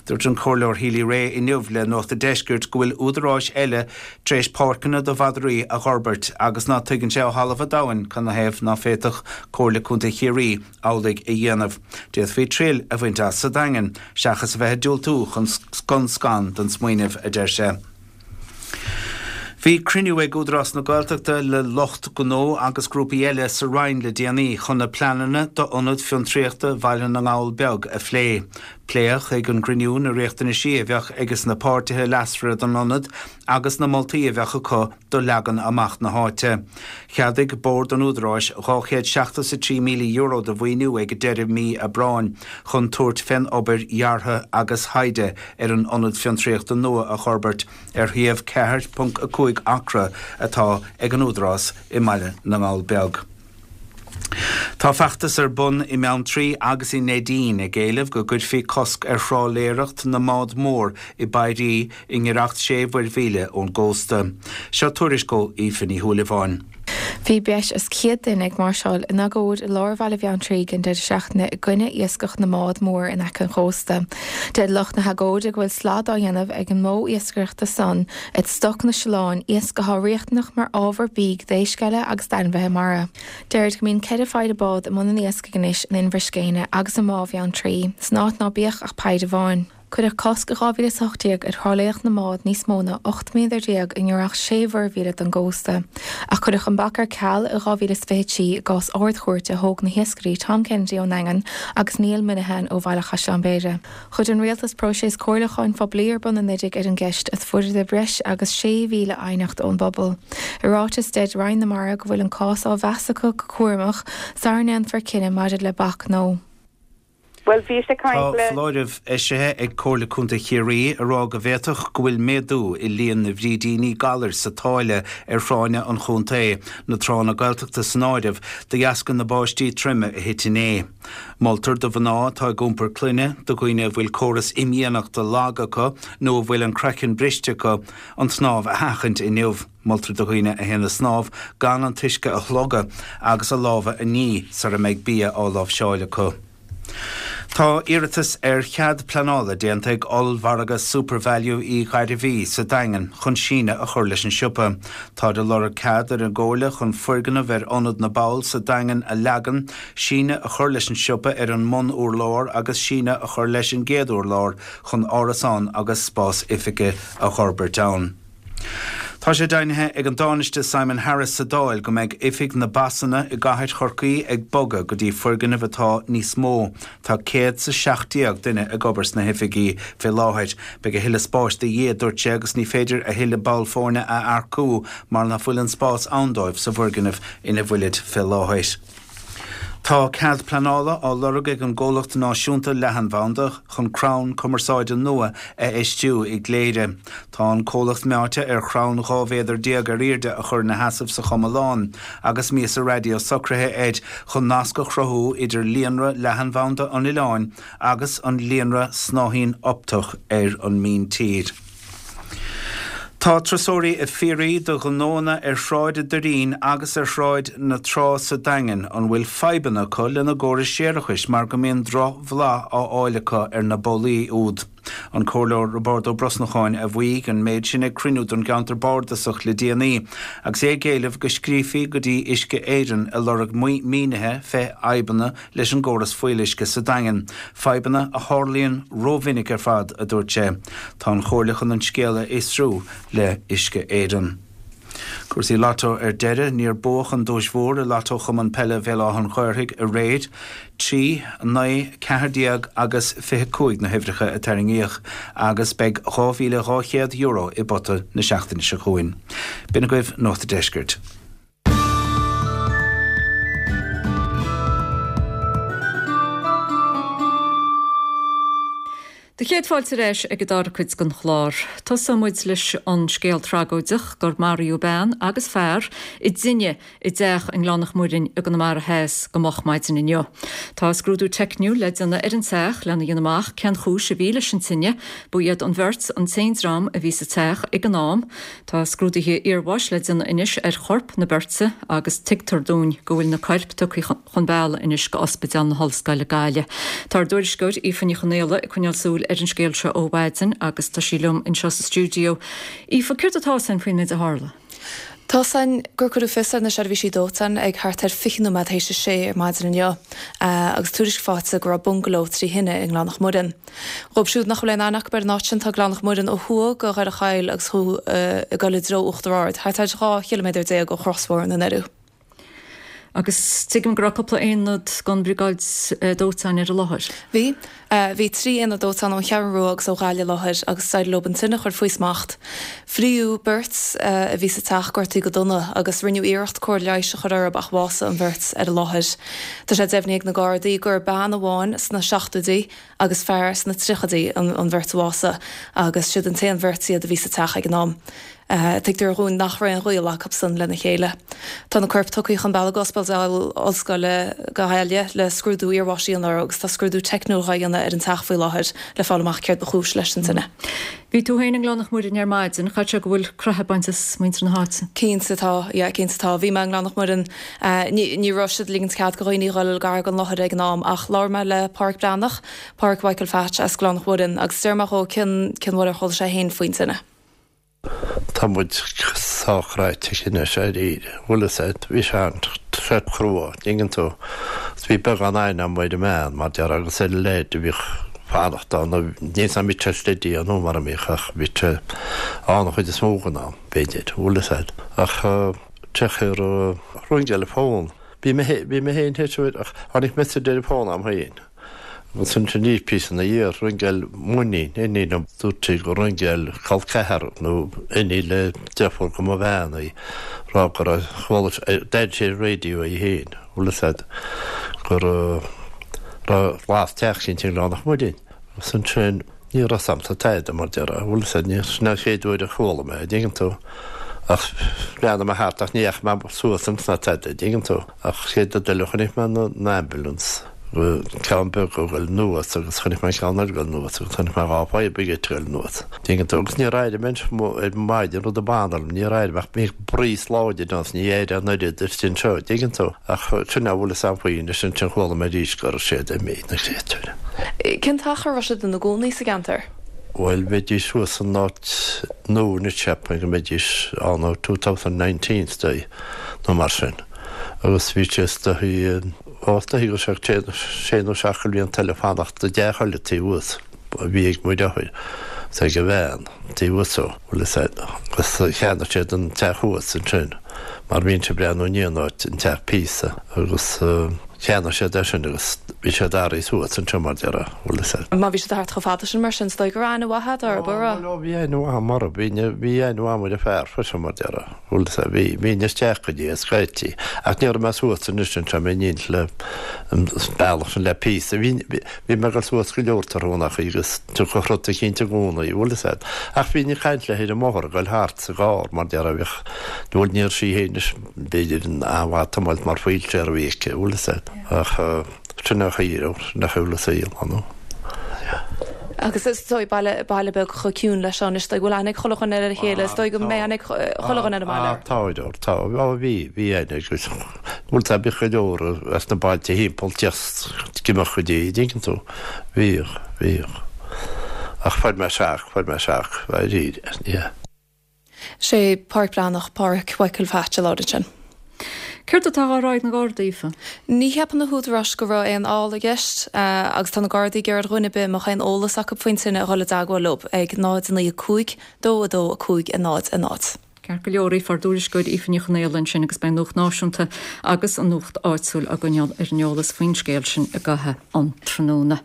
Dúirt an Comhairleoir Healy-Rae inniu le Nuacht an Deiscirt go bhfuil údaráis eile tar éis páirceanna do mhadraí a dh'fhorbairt agus ná tuigeann sé ó thalamh an domhain canathaobh ná féadfadh Comhairle Contae Chiarraí amhlaidh a dhéanamh. D'fhéadfaí triail a bhaint as sa Daingean seachas a bheith ag diúltú chun scun scan don smaoineamh, a deir sé. Bhí cruinniú ag Údarás na Gaeltachta le lucht gnó agus grúpaí eile sa Rinn le déanaí chun na pleananna d'Ionad Fiontraíochta Bhaile na nGall Beag a phlé. Pléadh ag an gcruinniú na riachtanaisí a bheadh ages na páirtithe leasmhara don ionad agus na moltaí a bheadh acu do leagan amach na háite. Cheadaigh Bord an Údaráis dhá chéad seachtó is a trí míle euro de mhaoiniú ag deireadh mí Aibreáin chun tabhairt fén obair dheartha agus thaighde ar an ionad fiontraíochta nua a fhorbairt ar shuíomh ceathair ponc a cúig acra atá ag an Údarás i mBaile na nGall Beag. Tá feachtas ar bun i mBeanntraí agus i Neidín ag éileamh go gcuirfí cosc ar thrálaeireacht na mbád mór i bpairí i ngiorracht sé mhuirmhíle ón gcósta. Seo tuairisc ó Aoife Ní Shúilleabháin.
Bhí breis is céad duine ag máirseáil in agóid i lár bhaile Bheanntraí ag an deireadh seachtaine i gcoinne iascach na mbád mór in aice an chósta. Deir lucht na hagóide go bhfuil slad á dhéanamh ag an modh iascaireachta san ar stoc na siolán, iasc atá riachtanach mar ábhar bídh d'éisc eile agus d'ainmhithe mara. Deirid go mbíonn ceithre pheidhre bád i mbun an iascaigh anois in Inbhir Scéine agus i mBá Bheanntraí, san áit ná bíodh ach peidhre amháin. Cuireadh cosc i dhá mhíle is a hocht déag ar thrálaeireacht na mbád níos mó ná ocht méadar déag i ngiorracht sé mhuirmhíle don gcósta, ach cuireadh an bac ar ceal i dhá mhíle is fiche trí i gcás Ard-Chúirte a thóg na hiascairí Tom Kennedy ón nDaingean agus Neil Minihan ó Bhaile Chaisleáin Bhéarra. Chuir an Rialtas próiseas comhairliúcháin phoiblí ar bun anuraidh ar an gceist is fuaireadar breis agus sé mhíle aighneacht ón bpobal. I ráiteas deir Roinn na Mara go bhfuil an cás á mheas acu go cúramach sara ndéanfar cinneadh maidir le bac nó
Bhuel, bhíos ag
Tá
caint le.
foláireamh eisithe ag Comhairle Contae Chiarraí ag rá go bhféadfadh go bhfuil méadú i líon na bhfrídíní galair sa tsáile ar thránna an chontae, na tránna Gaeltachta san áireamh, de dheasca na báistí troime a thit inné. Moltar do mhná atá ag iompar clainne, do dhaoine a bhfuil córas imdhíonachta lag acu nó a bhfuil an craiceann briste acu, an tsnámh a sheachaint inniu. Moltar do dhaoine a théann ag snámh gan an t-uisce a shlogadh agus a lámha a ní sara mbeidh bia á láimhseáil acu. Tá iarratas ar chead pleanála déanta ag ollmhargadh SuperValu Uí Ghairbhí sa Daingean chun síneadh a chur leis an siopa. Táid ag lorg cead ar an gComhairle chun foirgneamh ar Ionad na bPoll sa Daingean a leagan, síneadh a chur leis an siopa ar an mbun-urlár agus síneadh a chur leis an gcéad urlár chun árasán agus spás oifige a dh'fhorbairt ann. Tá sé deimhnithe ag an Tánaiste Simon Harris sa Dáil go mbeidh Oifig na bPasanna i gcathair Chorcaí ag bogadh go dtí foirgneamh atá níos mó. Tá céad 's a seacht déag duine ag obair sna hoifigí fé láthair. Beidh a thuilleadh spáis de dhíth, a dúirt sé, agus ní féidir a thuilleadh ball foirne a earcú mar nach bhfuil an spás ann dóibh sa bhfoirgneamh ina bhfuilid fé láthair. Tá cead pleanála á lorg ag an gcomhlacht náisiúnta leathanbhanda chun crann cumarsáide nua a fheistiú i gCléire. Tá an comhlacht meáite ar chrann dhá mhéadar déag ar airde a chur ina sheasamh sa Chomalán agus miasa raidió socraithe air chun nasc a chruthú idir líonra leathanbhanda an oileáin agus an líonra snáithín optach ar an míntír. Tá turasóirí ag fiafraí de ghnóanna ar Shráid an Doirín agus ar Shráid na Trá sa Daingean an bhfuil fadhbanna acu lena gcórais séarachais mar go mbíonn drochbhlath á fháil acu ar na bolaí úd. An Comhairleoir Roibeárd Ó Brosnacháin a mhaígh an méid sin ag cruinniú don gceantar bardasach le déanaí agus é ag éileamh go scríofaí go dtí Uisce Éireann ag lorg mínithe fé fhadhbanna leis an gcóras fuíolluisce sa Daingean, fadhbanna a tharlaíonn rómhinic ar fad, a dúirt sé. Tá an Chomhairle chun an scéal a fhiosrú le Uisce Éireann. Cúrsaí Lotto ar deireadh, níor buadh an duais mhór i Lotto Chumann Peile Bhéal Átha an Ghaorthaidh aréir. Trí, naoi, ceathair déag agus fiche cúig na huimhreacha a tarraingíodh agus beidh dhá mhíle dhá chéad euro i bpota na seachtaine seo chugainn. B'in agaibh Nuacht an Deiscirt.
Do chéad fáilte ar ais ag an dara cuid den chlár. Tosóidh muid leis an scéal tragóideach gur maraíodh bean agus fear i dtine i dteach i nGleann an Mhuirinn i gConamara Theas go moch maidin inniu. Tá scrúdú teicniúil le déanamh ar an teach lena dhéanamh amach cén chúis a bhí leis an tine, ba iad an bheirt an t-aon dream a bhí sa teach ag an am. Tá scrúduithe iarbháis le déanamh anois ar chorp na beirte agus tuigtear dúinn go bhfuil na coirp tugtha chun bealaigh anois go Ospidéal na hOllscoile Gaillimh. Tá ár dtuairisceoir Aoife Ní Chonaola ag coinneáil súil ar an scéal seo ó mhaidin agus tá sí liom anseo sa stiúideo. Aoife, céard atá ann faoin méid a tharla?
Tá a fhios againn gur cuireadh fios ar na seirbhísí dóiteáin ag thart ar fiche nóiméad théis a sé ar maidin inniu agus tuairisc faighte go raibh bungaló trí thine i nGleann an Mhuirinn. Dhóibh siúd nach bhfuil aon aithne acu ar an áit sin, tá Gleann an Mhuirinn ó thuaidh go Dhoire Chaill agus thú ag dul i dtreo Uachtar Ard, thart ar dhá chiliméadar déag ó chrosbhóthar na nDoirí.
Agus tuigim go raibh cúpla aonad den bhriogáid dóiteáin ar an láthair.
Bhí. Bhí trí aonad dóiteáin ón Cheathrú Rua agus ó Ghaillimh i láthair agus d'éirigh leo an tine a chur faoi smacht. Fríodh beirt a bhí sa teach, gortaithe go dona, agus rinneadh iarracht cóir leighis a chur orthu ach bhásaigh an bheirt ar an láthair. Tá sé deimhnithe ag na Gardaí gur bean amháin sna seachtóidí agus fear sna tríochaidí an bheirt a bhásaigh agus siad an t-aon bheirt iad a bhí sa teach ag an am. Tuigtear dhúinn nach raibh aon ghaol acusan lena chéile. Tá na coirp tugtha chun bealaigh go Ospidéal Ollscoile Gaillimh le scrúdú iarbháis a dhéanamh orthu agus tá scrúdú teicniúil dhá dhéanamh ar an teach faoi láthair le fáil amach céard ba chúis leis an tine.
Bhí tú féin i nGleann an Mhuirinn ar maidin, caithfidh sé go bhfuil croitheadh bainte as muintir na háite?
Cinnte tá, yeah, cinnte tá. Bhí mé i nGleann an Mhuirinn, ní, ní raibh siad ag ligint cead go dhaoine dhul gar don láthair ag an am ach labhair mé le Páraic Breathnach, Páraic Mhichael Phatch as Gleann an Mhuirinn agus deir mé dhó cén, cén uair a chuala sé féin faoin tine.
Tá muid sách cráite anois dáiríre, bhfuil fhios a'd, bhí sé an-chrua, dtuigeann tú. Is bhí beagán aithne a'm ar an mbean, mar déarfá, agus ar an leaid a bhíodh fanacht ann, níl 'fhios a'm mbíodh sé steady nó mar a mbíodh ach bhí sé ann an chuid is mó den am, b'fhéidir, bhfuil fhios a'd. Ach théis ar ringeáil an fón, bhí mé bhí mé féin théis ach tháinig message ar an bhfón a'm féin. Agus ansin píosa ina dhiaidh, ringeáil m'iníon, iníon liom, dúirt sí gur ringeáil col ceathar nó iníon le deirfiúr go mo bhean í, rá go raibh, chuala, d'airigh sí ar an raidió í féin, bhfuil fhios a'd, go raibh, las teach eicínt i nGleann an Mhuirinn. Agus ansin, ní raibh 'fhios a'msa tada mar déarfá, bhfuil fhios a'd, ní, sin an chéad uair a chuala mé, an dtuigeann tú. Ach bhreathnaigh mé thart ach ní dheachaigh mé suas ann ná tada, an dtuigeann tú. Ach chéad rud eile chonaic mé an ambulance, ceann beag ag goil anuas agus chonaic mé an ceann eile ag goil anuas agus chonaic mé dhá fire brigade ag goil anuas, an dtuigeann tú. Agus níor airigh mé ar maidin rud a b'annamh liom, níor airigh mé ach bhí breeze láidir ann is ní airigh an oiread istigh anseo, an dtuigeann tú. Ach sin a bhfuil fhios a'm faoi anois, ansin chuala mé arís go raibh siad imithe, na créatúir.
Cén t-achar a raibh siad ina gcónaí sa gceantar?
Bhuel, bheidís thuas san áit nua anois, cheapfainn go mbeidís ann ó two thousand nineteen is dóigh, nó mar sin. Agus bhí sé is dóigh, ó is dóigh go raibh sé sé nó seacht de bhlianta eile fanacht i dteach eile taobh thuas a bhí ag mo dheartháir is ag a bhean taobh thuas ó, bhfuil fhios a'd, agus cheannaigh siad an teach thuas ansin mar bhínnse ag breathnú i ndiaidh an áit, an teach píosa agus. Cheannaigh siad é sin agus bhí siad athraithe suas anseo mar déarfá, bhfuil fhios a'd.
Má bhí siad thart chomh fada sin mar sin, is dóigh go raibh aithne mhaith a'd orthu, an raibh?
Ó, bhí aithne mhaith a'm orthu, bhí, bhí aithne mhaith a'm ar an fear freisin mar déarfá, bhfuil fhios a'd, bhí, bhínn isteach go dtí é scaití, ach ní raibh mé suas anois anseo, mé in éineacht le an bealach sin le píosa, bhí, bhí mé ag dul suas go leor tráthnónachaí agus tiocfadh rud eicínt i gcónaí, bhfuil fhios a'd. Ach bhínn ag caint léi ar an mbóthar ag dul thart sa gcarr mar déarfá, bhíodh, bhuel ní raibh sí féin anois, b'fhéidir an-mhaith tiomáint mar wheelchair a bhí aici, bhfuil fhios a'd, ach sin an chaoi a raibh, sin an chaoi a bhfuil an saol, ar ndóigh.
Agus is dóigh baile, baile beag chomh ciúin leis seo anois, is dóigh go bhfuil aithne ag chuile dhuine ar a chéile, is dóigh go mbeidh aithne ag chuile dhuine ar an mbaile
air. Tá, tá, tá, bhí, bhí aithne agus bhfuil fhios a'd, bhíodh go leor as na bailte thimpeall teacht ag imeacht go dtí, an dtuigeann tú, bhíodh, bhíodh. Ach fuair mé shock, fuair mé shock, dáiríre, yeah.
Sé Páraic Breathnach, Páraic Mhichael Phatch a labhair ansin.
Céard atá á rá ag na Gardaí, Aoife?
Ní cheapann na húdaráis go raibh aon fheall i gceist agus tá na Gardaí ag iarraidh ar dhuine ar bith a mbeadh aon eolas acu faoin tine a dhul i dteagmháil leo ag náid a naoi a cúig, dó a dó a cúig a náid a náid.
Ceart go leor, ár dtuairisceoir Aoife Ní Chonaola ansin agus beidh an Nuacht Náisiúnta agus an Nuacht Áitiúil á gcoinneáil ar an eolas faoin scéal sin i gcaitheamh an tráthnóna.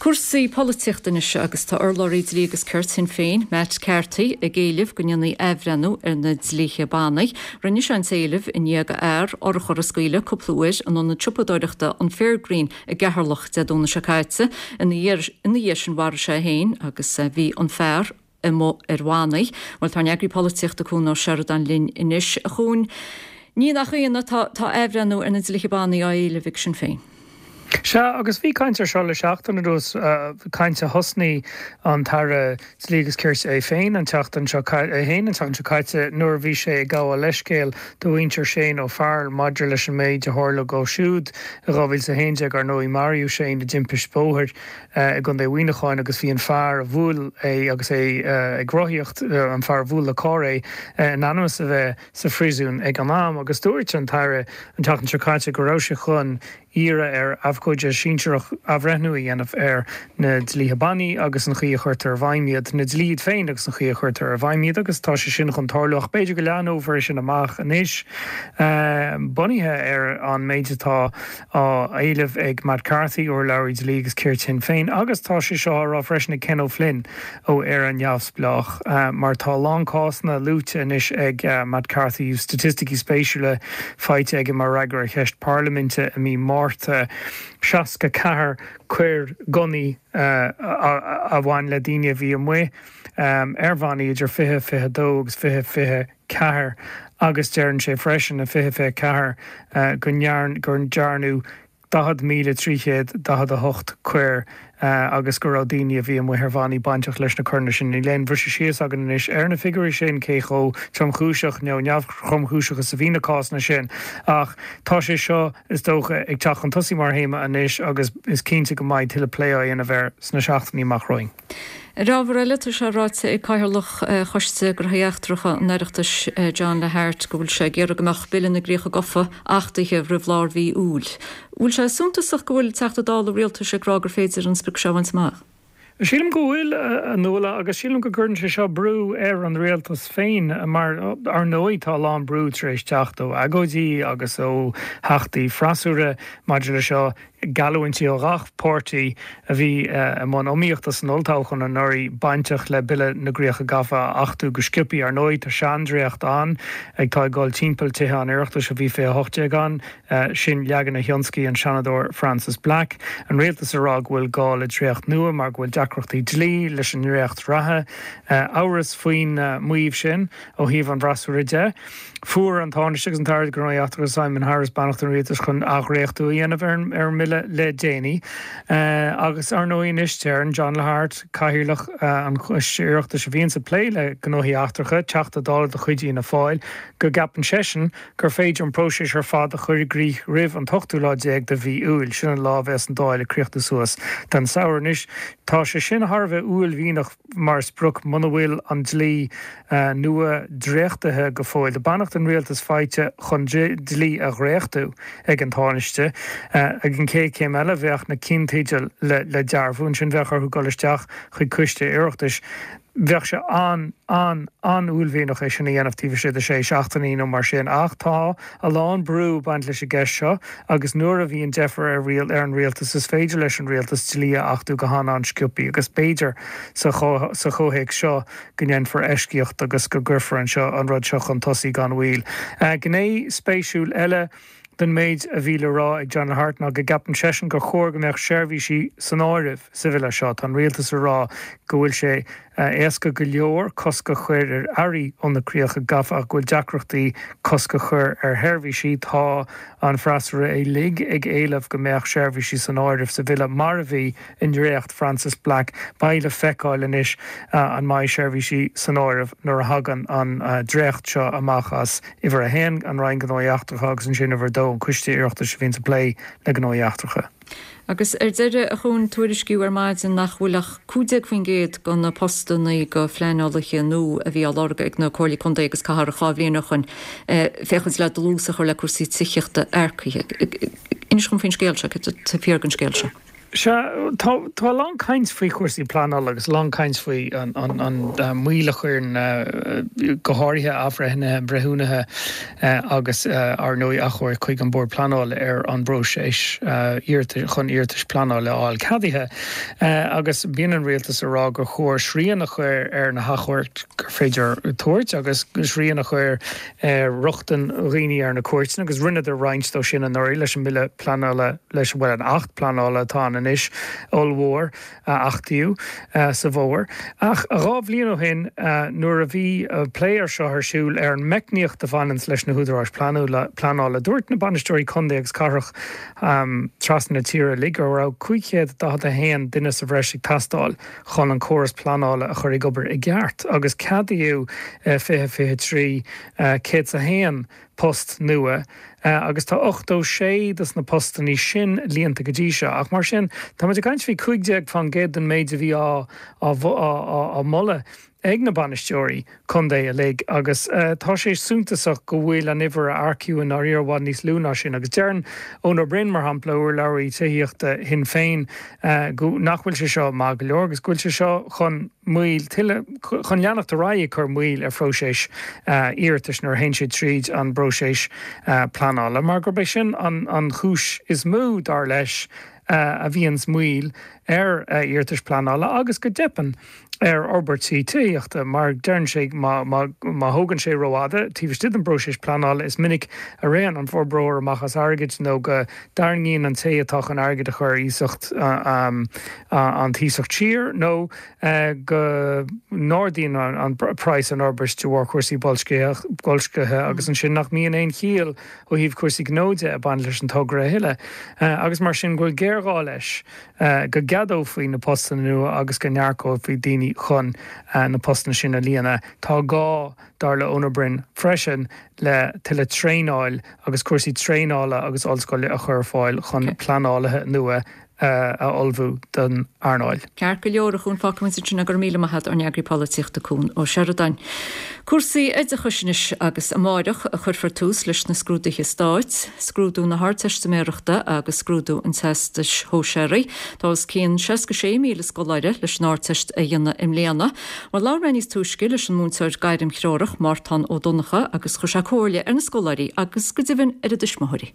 Cúrsaí polaitíochta anois agus tá urlabhraí dlí agus cirt Shinn Féin, Matt Carthy, ag éileamh go ndéanfaí athbhreithniú ar na dlíthe bannaí. Rinne sé an t-éileamh i ndiaidh do fhear urchar a scaoileadh cúpla uair in ionad siopadóireachta an Fairgreen i gCeatharlach Dé Domhnaigh seo caite. Ina dhiaidh sin mharaigh sé é féin agus bhí an fear amuigh ar bhannaí. Bhuel, tá ár n-eagraí polaitíochta Cuan Ó Seireadáin linn anois. A Chuain, ní nach ionadh, tá tá athbhreithniú ar na dlíthe bannaí á éileamh ag Sinn Féin.
Sea, agus bhí caint ar seo le seachtain anuas, caint a thosnaigh an tAire Dlí agus Cirt é féin an tseachtain seo é féin an tseachtain seo caite nuair a bhí sé ag gabháil leithscéil do mhuintir Shane O'Farrell maidir leis an méid a tharla dó siúd i dhá mhíle is a haon déag. Ar ndóigh, maraíodh Shane i dtimpist bóthair i gContae Mhuineacháin agus bhí an fear a bhuail é agus é ag rothaíocht, an fear a bhuail le carr é, in ainm is a bheith sa phríosún ag an am. Agus dúirt an tAire an tseachtain seo caite go raibh sé chun iarraidh ar abhcóide sinsearach athbhreithniú a dhéanamh ar na dlíthe bannaí agus an chaoi a chuirtear i bhfeidhm iad, na dlíthe iad féin agus an chaoi a chuirtear i bhfeidhm iad agus tá sé sin chun tarlú ach b'fhéidir go leathnófar é sin amach anois bunaithe ar an méid atá á éileamh ag Matt Carthy, urlabhraí dlí agus cirt Shinn Féin agus tá sé seo á rá freisin ag Ken O'Flynn ó Éire Neamhspleách mar tá a lán cásanna luaite anois ag Matt Carthy, staitisticí spéisiúla faighte aige mar fhreagra ar cheist parlaiminte i mí Márta. seasca ceathair coir gunnaí a bhain le daoine a bhí amuigh ar bhannaí idir fiche fiche dó agus fiche fiche ceathair agus deireann sé freisin i fiche fiche ceathair go ndearnadh daichead míle trí chéad daichead a hocht coir agus go raibh daoine a bhí amuigh ar bhannaí bainteach leis na coireanna sin. Níl aon bhriseadh síos againn anois ar na figiúirí sin, cé chomh tromchúiseach nó neamhthromchúiseach is a bhí na cásanna sin, ach tá sé seo, is dócha, ag teacht chun tosaigh mar théama anois agus is cinnte go mbeidh tuilleadh plé á dhéanamh air sna seachtainí amach romhainn.
Ar ábhar eile, tá sé ráite ag Cathaoirleach Choiste Gnóthaí Eachtracha an Oireachtais, John Lahart, go bhfuil sé ag iarraidh go mbeadh Bille na gCríocha Gafa achtaithe roimh lár mhí Iúil. Bhfuil sé suntasach go bhfuil Teachta Dála Rialtais ag rá gur féidir an sprioc seo a bhaint amach?
Sílim go bhfuil, a Nuala, agus sílim go gcuireann sé seo brú ar an rialtas féin mar, ar ndóigh, tá a lán brú tar éis teacht ó agóidí agus ó theachtaí freasúra maidir le seo. Geallúintí ó gach páirtí a bhí i mbun iomaíochta san olltoghchán anuraidh bainteach le Bille na gCríocha Gafa a achtú go sciobtha. Ar ndóigh, tá seandréacht ann atá ag dul timpeall Tithe an Oireachtais ó bhí fiche a hocht déag ann, sin leagan a thionscaigh an Seanadóir Frances Black. An rialtas ag rá go bhfuil gá le dréacht nua mar go bhfuil deacrachtaí dlí leis an ndréacht reatha. Amhras faoin maíomh sin ó thaobh an bhfreasúra de. Fuair an Tánaiste agus an tAire Gnóthaí Eachtracha Simon Harris beannacht an Rialtais chun athdhréachtú a dhéanamh ar an mBille le déanaí. Agus ar ndóigh anois deireann John Lahart, Cathaoirleach an Choiste Oireachtais a bhíonns ag plé le gnóthaí eachtracha, Teachta Dála de chuid Fhianna Fáil, go gceapann seisean gur féidir an próiseas ar fad a chur i gcrích roimh an t-ochtú lá déag de mhí Iúil. Sin an lá a bheas an Dáil ag críochnú suas don samhradh. Anois tá sé sin thar a bheith uaillmhianach mar sprioc muna bhfuil an dlí nua dréachtaithe go fóill. Tá beannacht an Rialtais faighte chun dlí a dhréachtú ag an Tánaiste. Ag an chéad chéim eile bheadh na cinnteidil le dearbhú. Ansin bheadh orthu dul isteach chuig coiste Oireachtais. Bheadh sé an, an, an-uaillmhianach é sin a dhéanamh taobh istigh de sé seachtainí nó mar sin ach tá a lán brú ag baint leis an gceist seo agus nuair a bhíonn deifir ar ar an rialtas is féidir leis an rialtas dlí a achtú go han-an-sciobtha agus b'fhéidir sa sa chomhthéacs seo go ndéanfar eisceacht agus go gcuirfear an seo an rud seo chun tosaigh gan mhoill. Gné spéisiúil eile den méid a bhí le rá ag John Lahart ná go gceapann seisean gur chóir go mbeadh seirbhísí san áireamh sa bhille seo. Tá an rialtas ag rá go bhfuil sé éasca go leor cosc a chur ar earraí ó na críocha gafa ach go bhfuil deacrachtaí cosc a chur ar sheirbhísí. Tá an freasúra uilig ag éileamh go mbeadh seirbhísí san áireamh sa bhille mar a bhí i ndréacht Frances Black. Beidh le feiceáil anois an mbeidh seirbhísí san áireamh nuair a thagann an dréacht seo amach as uimhir a haon, an Roinn Gnóthaí Eachtracha agus ansin uimhir a dó, an Coiste Oireachtais a bhíonns ag plé le gnóthaí eachtracha.
Agus ar deireadh, a Chuain, tuairiscíodh ar maidin nach bhfuil ach cúig déag faoin gcéad de na postanna do phleanálaithe nua a bhí á lorg ag na Comhairlí Contae agus Cathrach dhá bhliain ó shoin féachaint le dlús a chur le cúrsaí tithíochta earcaithe. Inis dom faoin scéal seo, céard atá fíor den scéal seo?
Sea, tá tá a lán caint faoi chúrsaí pleanála agus a lán caint faoi an an an moill a chuireann go háirithe athbhreithnithe, breithiúnaithe agus ar ndóigh achomhairc chuig an Bord Pleanála ar an bpróiseas iarratais chun iarratais pleanála a fháil ceadaithe. Agus bíonn an rialtas ag rá gur chóir srian a chur ar na hachomhairc gur féidir tabhairt agus srian a chur ar rochtain dhaoine ar na cúirteanna agus rinneadar roinnt dó sin anuraidh leis an mBille Pleanála leis bhuel an Acht Pleanála atá ann anois ollmhór a achtaíodh sa bhfómhar. Ach dhá bhliain ó shin nuair a bhí plé ar seo ar siúl ar an meicníocht a bhaineanns leis na húdaráis pleanála, dúirt na bainisteoirí contae agus cathrach trasna na tíre uilig go raibh cúig chéad daichead a haon duine sa bhreis ag teastáil chun an córas pleanála a chur ag obair i gceart agus ceadaíodh fiche fiche trí céad 's a haon post nua agus tá ochtó sé dos na postannaí sin líonta go dtí seo. Ach mar sin, tá muid ag caint faoi cúig déag fán gcéad den méid a bhí á á moladh ag na bainisteoirí contae uilig agus tá sé suntasach go bhfuil an uimhir a earcaíodh i ndáiríre i bhfad níos lú ná sin. Agus deireann Eoin Ó Broin, mar shampla, urlabhraí tithíochta Shinn Féin, go nach bhfuil sé seo maith go leor agus go bhfuil sé seo chun moill tuilleadh chun leanacht ar aghaidh ag cur moill ar phróiseas iarratais nuair a théann siad tríd an bpróiseas pleanála, mar gurb é sin an chúis is mó, dar leis, a bhíonns moill ar iarratais pleanála agus go dteipeann ar fhorbairtí tithíochta, mar deireann sé má má thógann sé rófhada taobh istigh den bpróiseas pleanála is minic a ritheann an forbróir amach as airgead nó go dtarraingíonn an té atá chun airgead a chur ar iasacht an t-iasacht siar nó go n-ardaíonn an praghas an fhorbairt de bharr cúrsaí boilscithe agus ansin nach mbíonn aon chiall ó thaobh cúrsaí gnó de ag baint leis an togra a thuilleadh agus mar sin go bhfuil géarghá leis go gceadófaí na postanna nua agus go n-earcófaí daoine chun na postanna sin a líonadh. Tá gá, dar le Eoin Ó Broin freisin, le tuilleadh traenáil agus cúrsaí traenála agus ollscoile a chur ar fáil chun pleanálaithe nua a ullmhú don earnáil.
Ceart go leor, a Chuain, fágfaimid ansin é, go raibh míle maith agat, ár n-eagraí polaitíochta Cuan Ó Seireadáin. Cúrsaí oideachais anois agus amáireach a chuirfear tús leis na scrúduithe stáit, scrúdú na hArdteistiméireachta agus scrúdú an Teastais Shóisearaigh. Tá os cionn seasca sé míle scoláire leis an Ardteist a dhéanamh i mbliana. Bhuel, labhair mé níos túisce leis an múinteoir gairmthreorach, Mártán Ó Donnchadha, agus chuir sé comhairle ar na scoláirí agus go deimhin ar a dtuismitheoirí.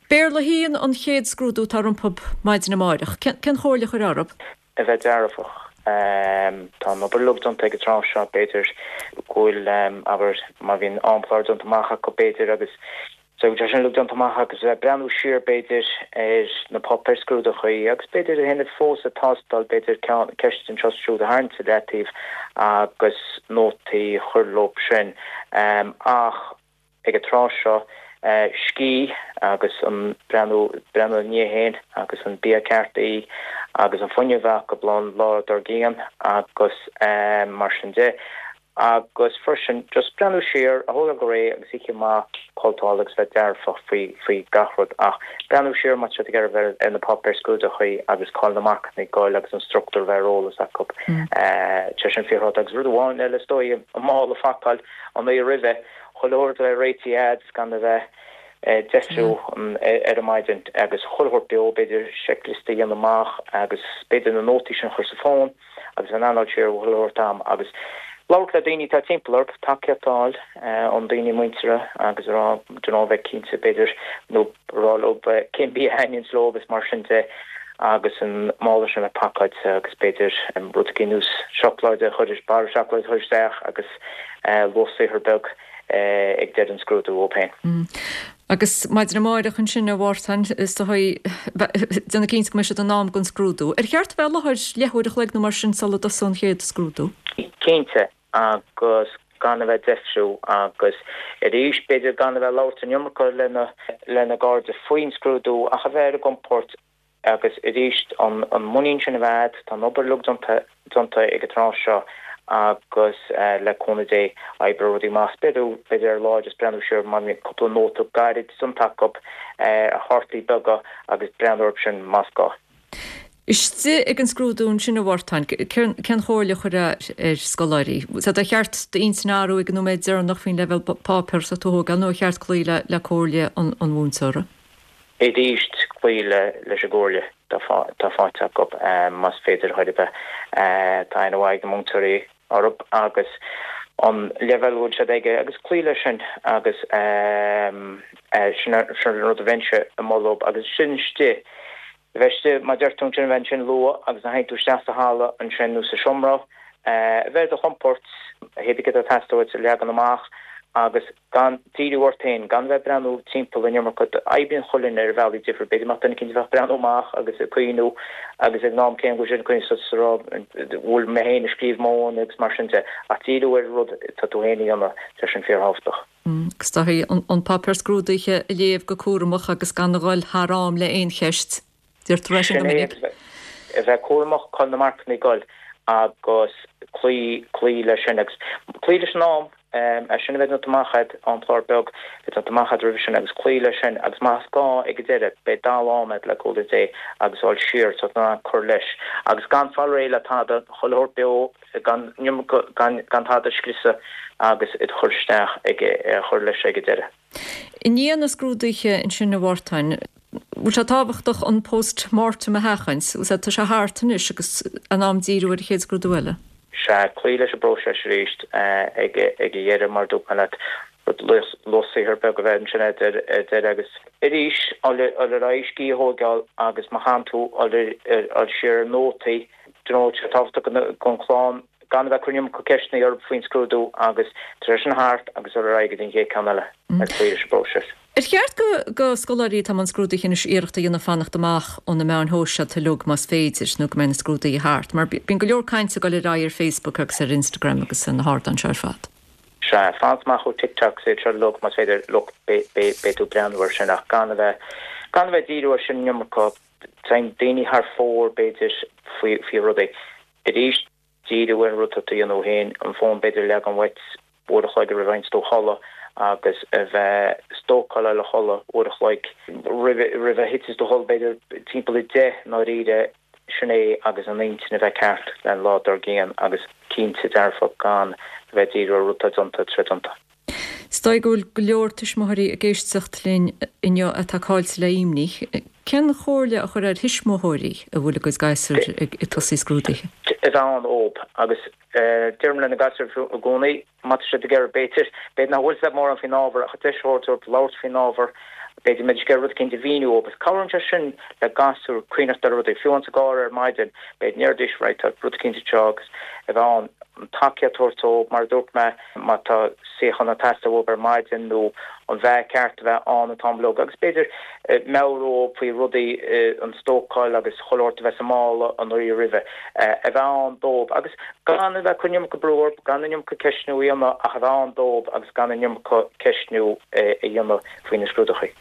Béarla a haon an chéad scrúdú atá rompu maidin amáireach. Cén chomhairle a chuirfeá orthu?
A bheith dearfach. Tá an obair uilig déanta ag an tráth seo, b'fhéidir go bhfuil, abair, má bhíonn amchlár déanta amach acu, b'fhéidir, agus so tá sin uilig déanta amach agus a bheith ag breathnú siar, b'fhéidir, ar na páipéir scrúdachaí agus b'fhéidir a dhéanamh fós ag tástáil, b'fhéidir, ceann, ceist anseo is siúd a tharraingt i leataobh agus nótaí a chur leo sin. Ach ag an tráth seo, scíth agus an breathnú, breathnú ina ndiaidh féin agus an bia ceart a ithe agus an fuinneamh a bheith acu an lá dár gcionn agus mar sin de. Agus freisin just breathnú siar, a thógáil go réidh agus oíche mhaith codlata agus bheith dearfach faoi, faoi gach rud ach breathnú siar má tá siad ag iarraidh bheith ar na páipéir scrúdachaí agus cá bhfuil na marcanna ag goil agus an struchtúr a bheith ar eolas acu. Sé sin fíorthábhachtach agus rud amháin eile is dóigh, an mála a phacáil an oíche roimhe, Chuile shórt a bheith réitithe a'd is gan a bheith ag deifriú ar an maidin agus chuile shórt beo, b'fhéidir seicliosta a dhéanamh amach agus b'fhéidir na nótaí sin a chur sa bhfón agus bheith in ann dul siar chuile shórt am agus labhairt le daoine atá timpeall ort, tacaíocht a fháil ón daoine muinteartha agus a rá, do you know, bheith cinnte b'fhéidir nó a rá leo cén bia a thaitníonns leo agus mar sin de agus an mála sin a bheith pacáilte agus b'fhéidir rud ar nós seacláid a chur, barra seacláid a chur isteach agus luach saothair beag ag deireadh an scrúdú dhóibh féin.
Agus maidin amáireach ansin a Mhártain, is dóigh, déanamh cinnte go mbeidh siad in am don scrúdú. Ar cheart a bheith i láthair leathuair a chloig nó mar sin sula dtosóidh an chéad scrúdú?
Cinnte, agus gan a bheith ag deifriú agus arís b'fhéidir gan a bheith ag labhairt an iomarca lena lena gcairde faoin scrúdú ach a bheith ar a gcompord Agus arís, an muinín sin a bheith a'd, tá an obair uilig déanta, déanta ag an tráth seo agus le cúnamh Dé, oibreoidh rudaí amach. B'fhéidir, b'fhéidir ar lá just breathnú siar, má bhíonn cúpla nóta gairid déanta acu ar chártaí beaga agus breathnú orthu sin más gá.
Istigh ag an scrúdú ansin a Mhártain, cén chomhairle a chuirfeá ar scoláirí? Sea, ar cheart d'intinn a athrú ag an nóiméad deireanach faoin leibhéal páipéir atá tú a thógáil nó ar cheart cloí le comhairle an mhúinteora?
Arís cloí leis an gcomhairle atá faighte acu más féidir chor ar bith. Tá aithne mhaith ag na múinteoirí orthu agus an leibhéal a bhfuil siad aige agus cloí leis sin agus sin an rud a bheinnse ag moladh agus sin istigh a bheith istigh mar a deir tú ansin a bheith ansin luath agus nuair a théann tú isteach sa halla ansin nó sa seomra a bheith ar do chompord hé bith céard atá ag teastáil uait a leagan amach agus gan díriú ort féin, gan bheith ag breathnú timpeall an iomarca. Oibríonn chuile dhuine ar bhealaí difriúil. B'fhéidir go mbeadh duine eicínt a bheadh ag breathnú amach agus ag cuimhniú agus ag an am céanna go bhfuil siad ag cuimhniú suas a rá bhfuil mé féin ag scríobh m'fhón agus mar sin de. Ach díriú ar an rud atá tú féin a dhéanamh, tá sin fíorthábhachtach.
Agus tá an páipéar scrúdaithe a léamh go cúramach agus gan a dhul thar am le aon cheist. Deirtear é sin go
Sin é,
minic.
a bheith cúramach cá bhfuil na marcanna ag dul agus cloí, cloí leis sin agus cloí leis an am, é sin a bheith déanta amach agat, amchlár beag a bheith déanta amach agat roimhe sin agus cloí leis sin agus más gá ag an deireadh beidh dall am agat le cúnamh Dé agus dul siar so ná cur leis agus gan fáil réidh le tada, chuile shórt beo, gan, gan, gan tada a scriosadh agus iad a chur isteach ag, a chur leis ag an deireadh.
I ndiaidh na scrúduithe ansin a Mhártain, bhfuil sé tábhachtach an post mortem a sheachaint? Bhfuil tá sé thart anois agus in am díriú ar an chéad scrúdú eile?
Sea, cloí leis an bpróiseas arís ag an dheireadh mar a dúirt mé leat, rud lucht saothair beag a bheith ansin ar deireadh agus arís dul ar aghaidh scíth a thóigeáil agus má chaitheann tú dul siar ar nótaí, do you know, tá sé tábhachtach don chlann gan a bheith ag cur an iomarca ceisteanna orthu faoin scrúdú agus tá sé sin thart agus dul ar aghaidh go dtí an chéad ceann eile ag cloí leis an bpróiseas.
Ar cheart go go scoláirí atá i mbun scrúduithe anois iarracht a dhéanamh fanacht amach ó na meáin shóisialta uilig más féidir nó go mbeidh na scrúduithe thart? Mar bíonn go leor cainte ag dul ar aghaidh ar Facebook agus ar Instagram agus ar na hardáin seo ar fad.
Sea, fanacht amach ó TikTok is iad seo uilig más féidir, look, beidh tú ag breathnú air sin ach gan a bheith gan a bheith ag díriú air sin an iomarca. Téann daoine thar fóir b'fhéidir faoi faoi rudaí. Arís, díriú ar an rud atá tú a dhéanamh féin, an fón b'fhéidir a leagan uait uair a chloig roimh a théanns tú a chodladh agus a bheith stócáil a chodladh uair a chloig roimh roimh a thiteanns tú a chodladh b'fhéidir timpeall a deich i ndáiríre, sin é agus an intinn a bheith ceart le an lá dár gcionn agus cinnte dearfach gan a bheith ag díriú ar rud atá déanta, atá déanta.
Is dóigh go bhfuil go leor tuismitheoirí ag éisteacht linn inniu atá caillte le imní. Cén chomhairle a chuirfeá ar thuismitheoirí a bhfuil a gcuid gasúr ag tosaí scrúduithe?
A bheith ann dóibh agus deirim le na gasúir i gcónaí, má tá siad ag iarraidh, b'fhéidir, b'fhéidir nach bhfuil siad mórán faoin ábhar ach deis a thabhairt dóibh labhairt faoin ábhar, b'fhéidir go mbeidís ag iarraidh rud eicínt a mhíniú dóibh. Cabhraíonn sé sin le gasúr cuimhneacht ar rudaí, fiú ins an gcarr ar maidin, b'fhéidir go ndéarfaidís right tá rud eicínt anseo agus a bheith ann. an tacaíocht a thabhairt dóibh, mar a dúirt mé, má tá suíochán ag teastáil uathu ar maidin nó an bheith ceart a bheith ann an t-am uilig agus b'fhéidir meabhrú dóibh faoi rudaí, an stócáil agus chuile shórt a bheith sa mála an oíche roimhe, a bheith ann dóibh agus gan a bheith ag cur an iomarca brú orthu, gan an iomarca ceistniú a dhéanamh ach a bheith ann dóibh agus gan an iomarca ceistniú a dhéanamh faoi na scrúduithe.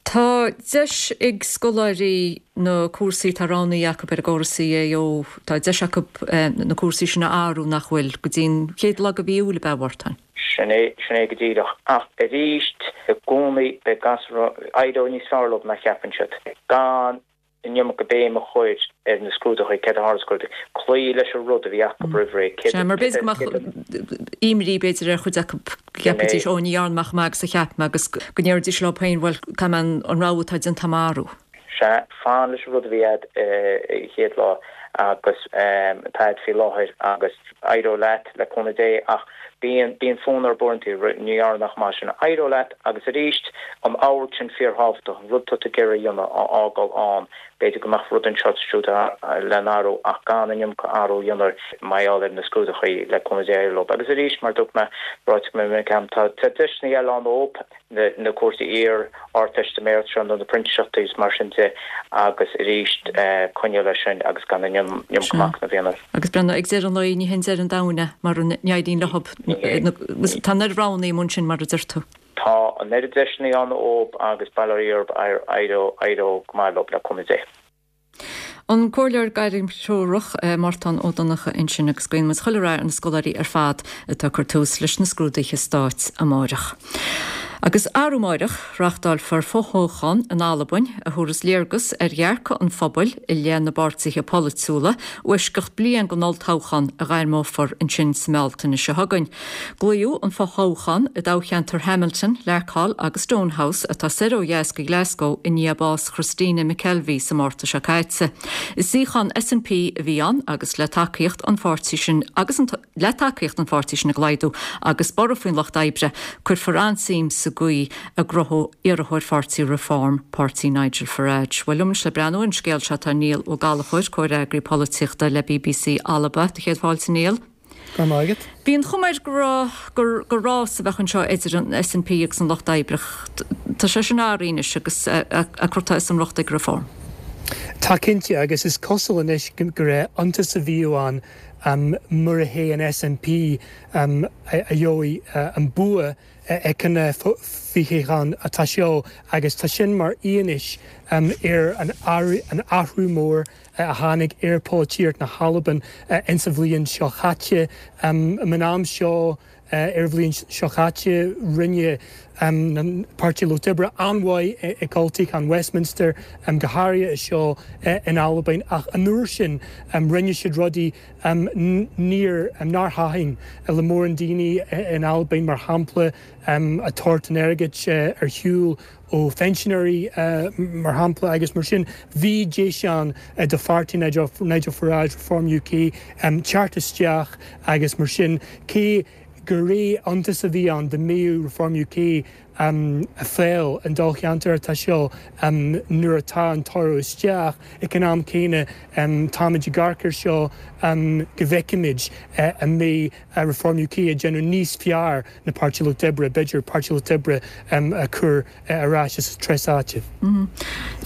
Tá deis ag scoláirí na cúrsaí atá roghnaithe acu ar an gcóras CAO, tá deis acu na cúrsaí sin a athrú, nach bhfuil, go dtí an chéad lá de mhí Iúil, ab ea, a Mhártain?
Sin é, sin é go díreach. Ach arís, i gcónaí beidh gasúir, éireoidh níos fearr leo ná cheapann siad. Gan an iomarca béim a chur ar na scrúduithe, céard a tharla sna scrúduithe, cloí leis an rud a bhí acu roimh ré, céard
Sea, mar b'fhéidir go mbeadh imní b'fhéidir ar chuid acu, go gceapfaidís, ó ní dhearna mé chomh maith agus a cheap mé agus go ndéarfaidís leo féin, bhuel, caithfidh mé an rogha atá déanta agam a athrú.
Sea, fan leis an rud a bhí agat an chéad lá agus atá agat faoi láthair agus éireoidh leat, le cúnamh Dé, ach bíonn, bíonn fonn orthu uaireanta, ní dhearna mé chomh maith sin, éireoidh leat agus arís an amharc sin fíorthábhachtach, an rud atá tú ag iarraidh a dhéanamh a fhágáil ann, b'fhéidir go mbeadh rud anseo is siúd le n-athrú ach gan an iomarca athrú a dhéanamh mar gheall ar na scrúduithe, le cúnamh Dé éireoidh leo. Agus arís, mar a dúirt mé, ráite go minic agam, tá deiseanna eile ann dóibh. na cúrsaí iar-Ardteistiméireachta seo nó na printíseachtaí is mar sin de agus arís coinneáil leis sin agus gan an iomarca machnaimh a dhéanamh.
Agus breathnaigh, ag deireadh an lae ní hin deireadh an domhain é mura n-éiríonn leo. Tá an oiread roghanna amuigh ansin mar a deir tú.
Tá an oiread deiseanna ann dóibh agus bail ó Dhia orthu éireoidh go maith leo le cúnamh Dé.
An Comhairleoir Gairmthreorach, Mártán Ó Donnchadha ansin agus guíonn muid chuile rath ar na scoláirí ar fad atá ag cur tús leis na scrúduithe stáit amáireach. Agus arú amáireach, reáchtálfar fothoghchán in Albain a thabharfas léargas ar dhearcadh an phobail i leith na bpáirtithe polaitiúla, i bhfoisceacht bliain den olltoghchán a ghairmeofar ansin sa mBealtaine seo chugainn. Glaodh an fothoghchán i dtoghcheantar Hamilton, Larkhall agus Stonehouse atá soir ó dheas de Ghlasgow i ndiaidh bás Christina McKelvie sa Márta seo caite. Is suíochán SNP a bhí ann agus le tacaíocht an pháirtí sin agus an le tacaíocht an pháirtí sin ag laghdú agus borradh faoin Lucht Oibre, cuirfear an-suim sa gcaoi a ngnóthóidh iarrthóir pháirtí Reform, páirtí Nigel Farage. Bhuel liom anois le breathnú ar an scéal seo tá Niall Ó Gallchóir, comhfhreagraí polaitíochta le bbc Alba. Do chéad fáilte Niall.
Go raibh maith agat.
Bhí an chuma air go raibh gur gur rás a bheadh anseo idir an SNP agus an Lucht Oibre. Tá sé sin athraithe anois agus á cur as an riocht ag Reform.
Tá cinnte agus is cosúil anois gur iontas a bhíodh ann um, mura hé an SNP um, a gheobhaidh uh, an bua ag an fothoghchán atá seo agus tá sin mar fhianaise um, ar an, an athrú mór a tháinig ar pholaitíocht na hAlban uh, insa bhliain seo chaite um, an am seo uh, ar bhliain seo chaite rinne um, an Páirtí Lucht Oibre an-mhaith i olltoghchán Westminster um, go háirithe seo uh, in Albain ach an uair sin um, rinne siad rudaí um, níor um, nár thaitin le mórán daoine in Albain mar shampla um, a tabhairt an airgead uh, ar shiúl ó phensinéirí uh, mar shampla agus mar sin bhí deis ann uh, do pháirtí Nigel, Nigel Farage Reform UK um, teacht isteach agus mar sin cé gur iontas a bhí ann dá mbeadh Reform UK um, ag fáil an dáilcheantar atá seo um, nuair atá an toradh isteach ag an am céanna um, táimid ag amharc air seo um, go bhfeicfimid uh, an mbeidh uh, Reform UK ag déanamh níos fearr ná Páirtí Lucht Oibre, b'fhéidir Páirtí Lucht Oibre um, a chur uh, ar ais as treis áite.
Mm.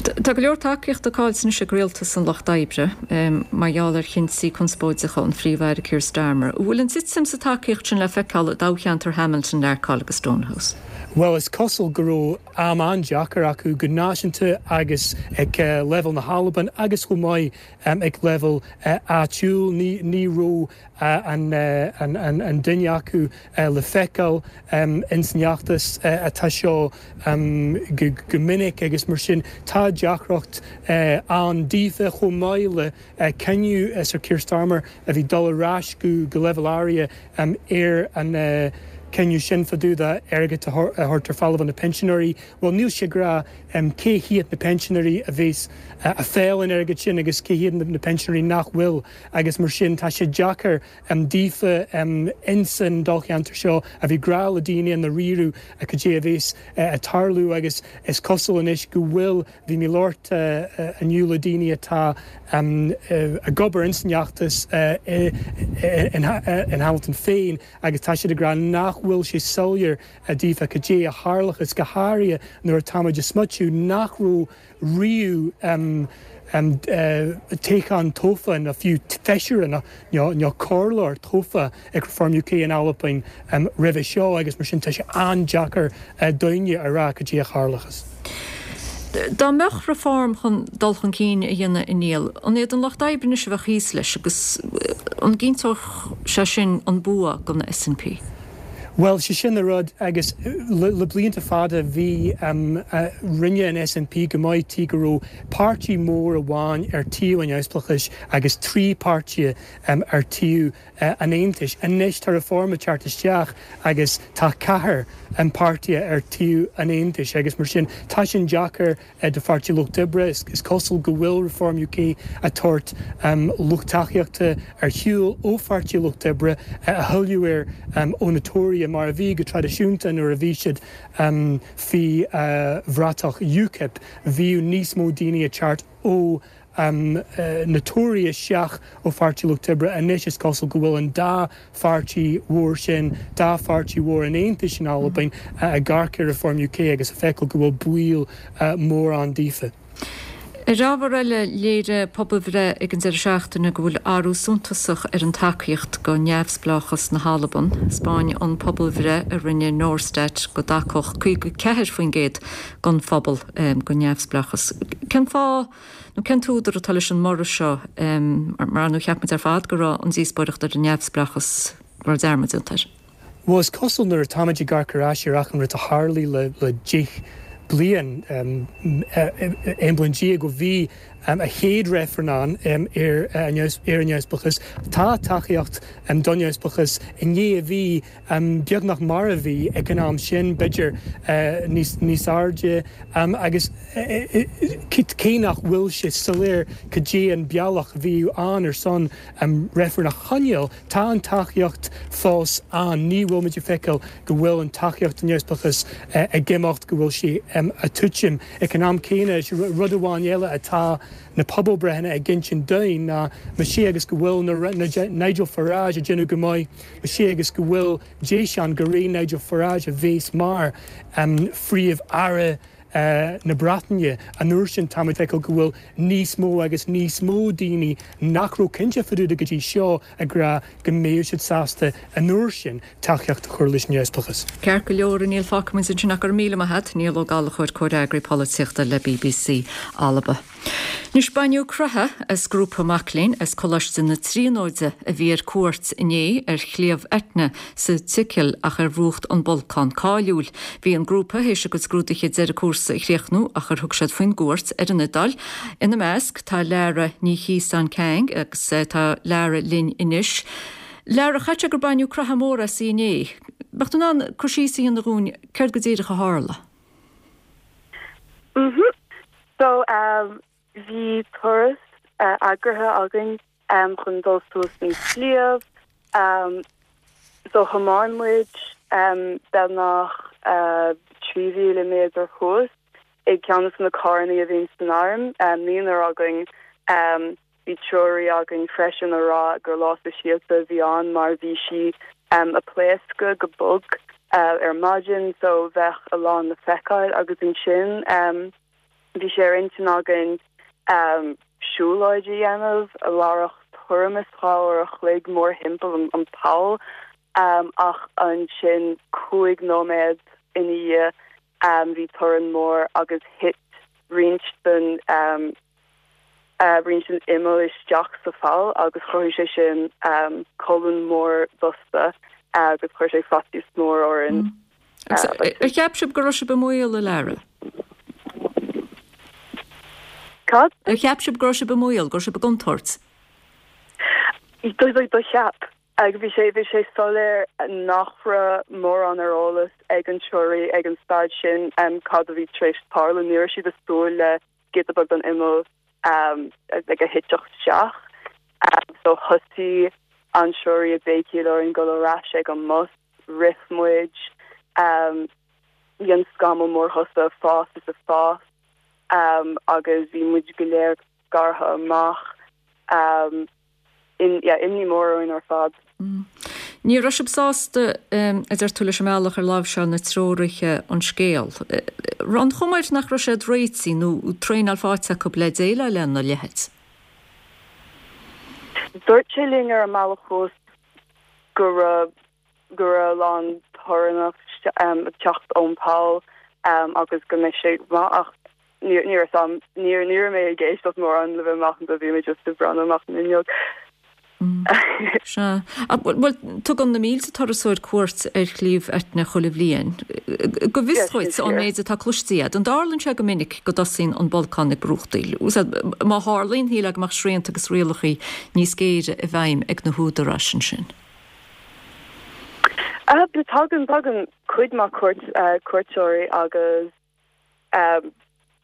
Tá go leor tacaíochta caillte anois ag rialtas an Lucht Oibre um, mar gheall ar chinntí conspóideacha an Phríomh-Aire Keir Starmer. Bhfuil an titim sa tacaíocht sin le feiceáil i dtoghcheantar Hamilton Larkhall agus Stonehouse.
Well is cosúil go raibh am an-deacair acu go náisiúnta agus ag uh, level na hAlban agus chomh maith um, ag level uh, áitiúil ní, ní raibh uh, an, uh, an, an, an duine acu uh, le feiceáil um, insan fheachtas uh, atá seo um, go, go minic agus mar sin tá deacracht uh, ann daofa chomh maith le uh, cinneadh uh, Sir Keir Starmer a bhí dul ar ais go go level áirithe um, ar an uh, cinneadh sin fá dtaobh d'airgead a thabhairt ar fáil do na pensinéirí, Well níl sé ag rá um, cé hiad na pensinéirí a bheas uh, ag fáil an airgead sin agus cé hiad na, na pensinéirí nach bhfuil agus mar sin tá sé deacair um, daofa um, insan dáilcheantar seo a bhí grá le daoine an na riú a go dé a bheas uh, ag tarlú agus is cosúil anois go bhfuil bhí mé ag labhairt uh, inniu le daoine atá um, uh, ag obair insan fheachtas uh, in, in Hamilton féin agus tá siad ag rá nach bhfuil sé soiléir daofa cad é a tharlóchas go háirithe nuair atáimid ag smaoitiú nach raibh riamh um, um, uh, toghchán tofa na fiú feisire nó nó comhairleoir tofa ag Reform UK in Albain um, roimhe seo agus mar sin tá sé an-deacair uh, daoine a rá cad é a tharlóchas.
Dá mbeadh Reform chun dul chun cinn a dhéanamh a Niall, an iad an Lucht Oibre anois a bheadh thíos leis agus an gcinnteodh sé sin an bua don SNP.
Well sé sin an rud agus le, le blianta fada bhí um, uh, rinne an SNP go maith tí go raibh páirtí mór amháin ar taobh an neamhspleáchais agus trí páirtí um, ar taobh uh, an aontais. Anois tá Reform ag teacht isteach agus tá ceathair an páirtí ar taobh an aontais agus mar sin tá sin deacair uh, do Pháirtí Lucht Oibre is, is cosúil go bhfuil Reform UK ag tabhairt um, lucht tacaíochta ar shiúl ó Pháirtí Lucht Oibre uh, a thuilleadh ar um, ó na Tóraithe mar a bhí go traidisiúnta nuair a bhí siad um, faoi uh, bhratach UKIP bhí níos mó daoine ag teacht ó um, uh, na Tóraithe seachas ó Pháirtí Lucht Oibre anois is cosúil go bhfuil an dá pháirtí mhór sin dá pháirtí mhór an aontais in Albain uh, ag amharc ar Reform UK agus a feiceáil go bhfuil baol uh, mór ann daofa.
Ar ábhar eile léirigh pobalbhreith ag an deireadh seachtaine go bhfuil athrú suntasach ar an tacaíocht go neamhspleáchas na hAlban. Thaispeáin an pobalbhreith a rinne Norstat go dtacódh caoga ceathair faoin gcéad den phobal um, go neamhspleáchas. Cén fáth nó cén t-údar atá leis an mborradh seo um, mar nó cheap muid ar fad go raibh an díospóireacht ar an neamhspleáchas mar dearmad déanta.
Bhuel, is cosúil nuair atáimid ag amharc ar ais ar achan rud a tharlaigh le le deich bliain, aon bliain déag ó bhí an chéad reifreann ann ar an neamhspleáchas, tá tacaíocht don neamhspleáchas i ndiaidh a bhí beagnach mar a bhí ag an am sin, b'fhéidir níos níos airde, agus cé nach bhfuil sé soiléir cad é an bealach a bhí ann ar son reifreann a choinneáil, tá an tacaíocht fós ann. Ní bhfuil muid ag feiceáil go bhfuil an tacaíocht don neamhspleáchas ag imeacht, go bhfuil sé ag titim. Ag an am céanna, is rud amháin eile atá na pobalbreitheanna ag insint dúinn ná más ea agus go bhfuil Nigel Farage ag déanamh go maith, más ea agus go bhfuil deis ann gur é Nigel Farage a bheas mar Phríomh-Aire na Breataine an uair sin, táimid ag feiceáil go bhfuil níos mó agus níos mó daoine nach raibh cinnte fá dtaobh de go dtí seo ag rá go mbeadh siad sásta an uair sin tacaíocht a chur leis an neamhspleáchas.
Ceart go leor, a Niall, fágfaidh muid ansin ach go raibh míle maith agat, Niall Ó Gallchóir, Comhfhreagraí Polaitíochta le bbc Alba. Anois baineadh croitheadh as grúpa mac léinn as Coláiste na Tríonóide a bhí ar cuairt inné ar Shliabh Etna sa tSicil ach ar mhúcht an bolcán cáiliúil. Bhí an grúpa théis a gcuid scrúduithe deireadh cúrsa a chríochnú ach ar thug siad faoin gcuairt ar an Iodáil. Ina measc tá Lara Ní Chíosáin Kang agus tá Lara linn anois. Lara, chaithfeadh sé gur baineadh croitheadh mór asaibh inné. Bheadh tú in ann cur síos a dhéanamh dhúinn céard go díreach a tharla?
Mhm. So um, bhí turas uh, eagraithe againn um, chun dul suas an sliabh. Um, so thiomáin muid um, beagnach uh, trí mhíle méadar thuas ag ceann de na carranna a bhíonn san arm, um, naonúr againn um, bhí treoraí againn freisin a rá gur lá speisialta a bhí ann mar bhí sí um, ag pléascadh go bog uh, ar maidin so bheadh a lán le feiceáil agus ansin um, bhí sé ar intinn againn um, siúlóid a dhéanamh a mhairfeadh tuairim is dhá uair a chloig mórthimpeall an, an poll um, ach ansin cúig nóiméad ina dhiaidh um, bhí torann mór agus thit roinnt den um, uh, roinnt den imeall isteach sa pholl agus chruthaigh sé sin um, colún mór dusta uh, agus chuir sé faitíos mór orainn.
Mm. Ar cheap sibh go raibh sibh i mbaol, a Lara?
Cad?
Ar cheap sibh go raibh sibh i mbaol, go raibh sibh i gcontúirt?
Do do do cheap. Agus bhí sé bhí sé soiléir nach raibh mórán ar eolas ag an treoraí ag an staid sin um, cad a bhí tar éis tarlú. Ní raibh siad ag súil le giota beag den imeall um, ag a thiteadh isteach. Um, so thosaigh an treoraí ag béicíl orainn dul ar ais ag an mbus, rith muid, um, bhí an scamall mór thusa ag fás is ag fás um, agus bhí muid go léir scartha amach. Um, in, yeah, imní mór orainn ar fad.
Mm. Ní raibh sibh sásta a deir tú leis an mbealach ar láimhseáil na treoraithe an scéal. An chuma air nach raibh siad réitithe nó traenáil faighte acu le déileáil lena leithéid?
Dúirt sé linn ar an mbealach thuas go raibh go raibh a lán torann ag teacht ón poll agus go mbeidh sé maith ach ní ní raibh ní ní raibh mé ag éisteacht mórán le bheith macánta bhí mé just ag breathnú amach an fhuinneog.
Sea. Bhuel, tugann na mílte turasóir cuairt ar Shliabh Etna chuile bhliain. Go bhfios dhuit, ón méid atá cloiste agat, an dtarlaíonn sé go minic go dtosaíonn an bolcán ag brúchtaíl? Má tharlaíonn, shílfeá go mbeadh srianta agus rialacha níos géire i bhfeidhm ag na húdaráis ansin.
Tagann tagann cuid mhaith cuairt cuairteoirí agus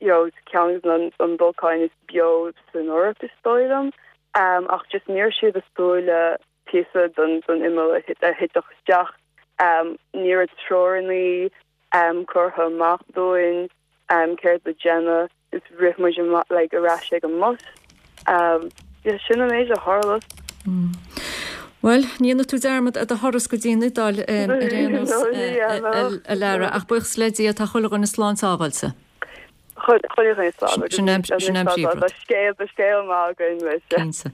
you know, ceann de na bolcáin is beo san Eoraip is dóigh liom. Um, ach just ní raibh siad ag súil le píosa den den imeall a thiteadh isteach. Um, ní raibh treoranna um, curtha amach dúinn um, céard le déanamh is rith muid like, ar ais ag an mbus. Um, yeah, sin an méid a tharla.
Mm. Bhuel, ní dhéanfaidh tú dearmad ar do thuras go dtí an Iodáil ar aon nós, a Lara, ach buíochas le Dia tá chuile dhuine slán sábháilte.
Chuile dhuine slán agus
Sin an- sin an príomhrud.
Tá scéal tá scéal maith againn leis.
Cinnte.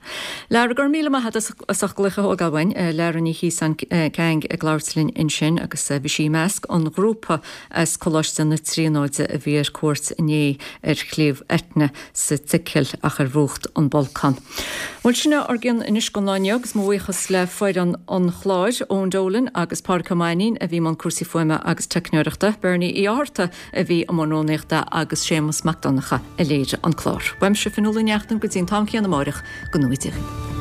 Lara go raibh míle maith agat as ucht glaoch a thógáil uainn, Lara Ní Chíosáin Kang ag labhairt linn ansin agus bhí sí i measc an ghrúpa as Coláiste na Tríonóide a bhí ar cuairt inné ar Shliabh Etna sa tSicil ach ar mhúchadh an bolcán. Bhuel sin ár gcionn anois don lá inniu agus mo bhuíochas le foireann an chláir Eoin Dolan agus Pádraig Ó Mainnín a bhí i mbun cúrsaí fuaime agus teicneoireachta, Bernie Uí Fhátharta a bhí i mbun rúnaíochta agus Séamus Mac Donncha a léirigh an clár. Uaimse Fionnuala Ní Neachtain go dtí an t-am céanna amárach go ngnóthaí Dia.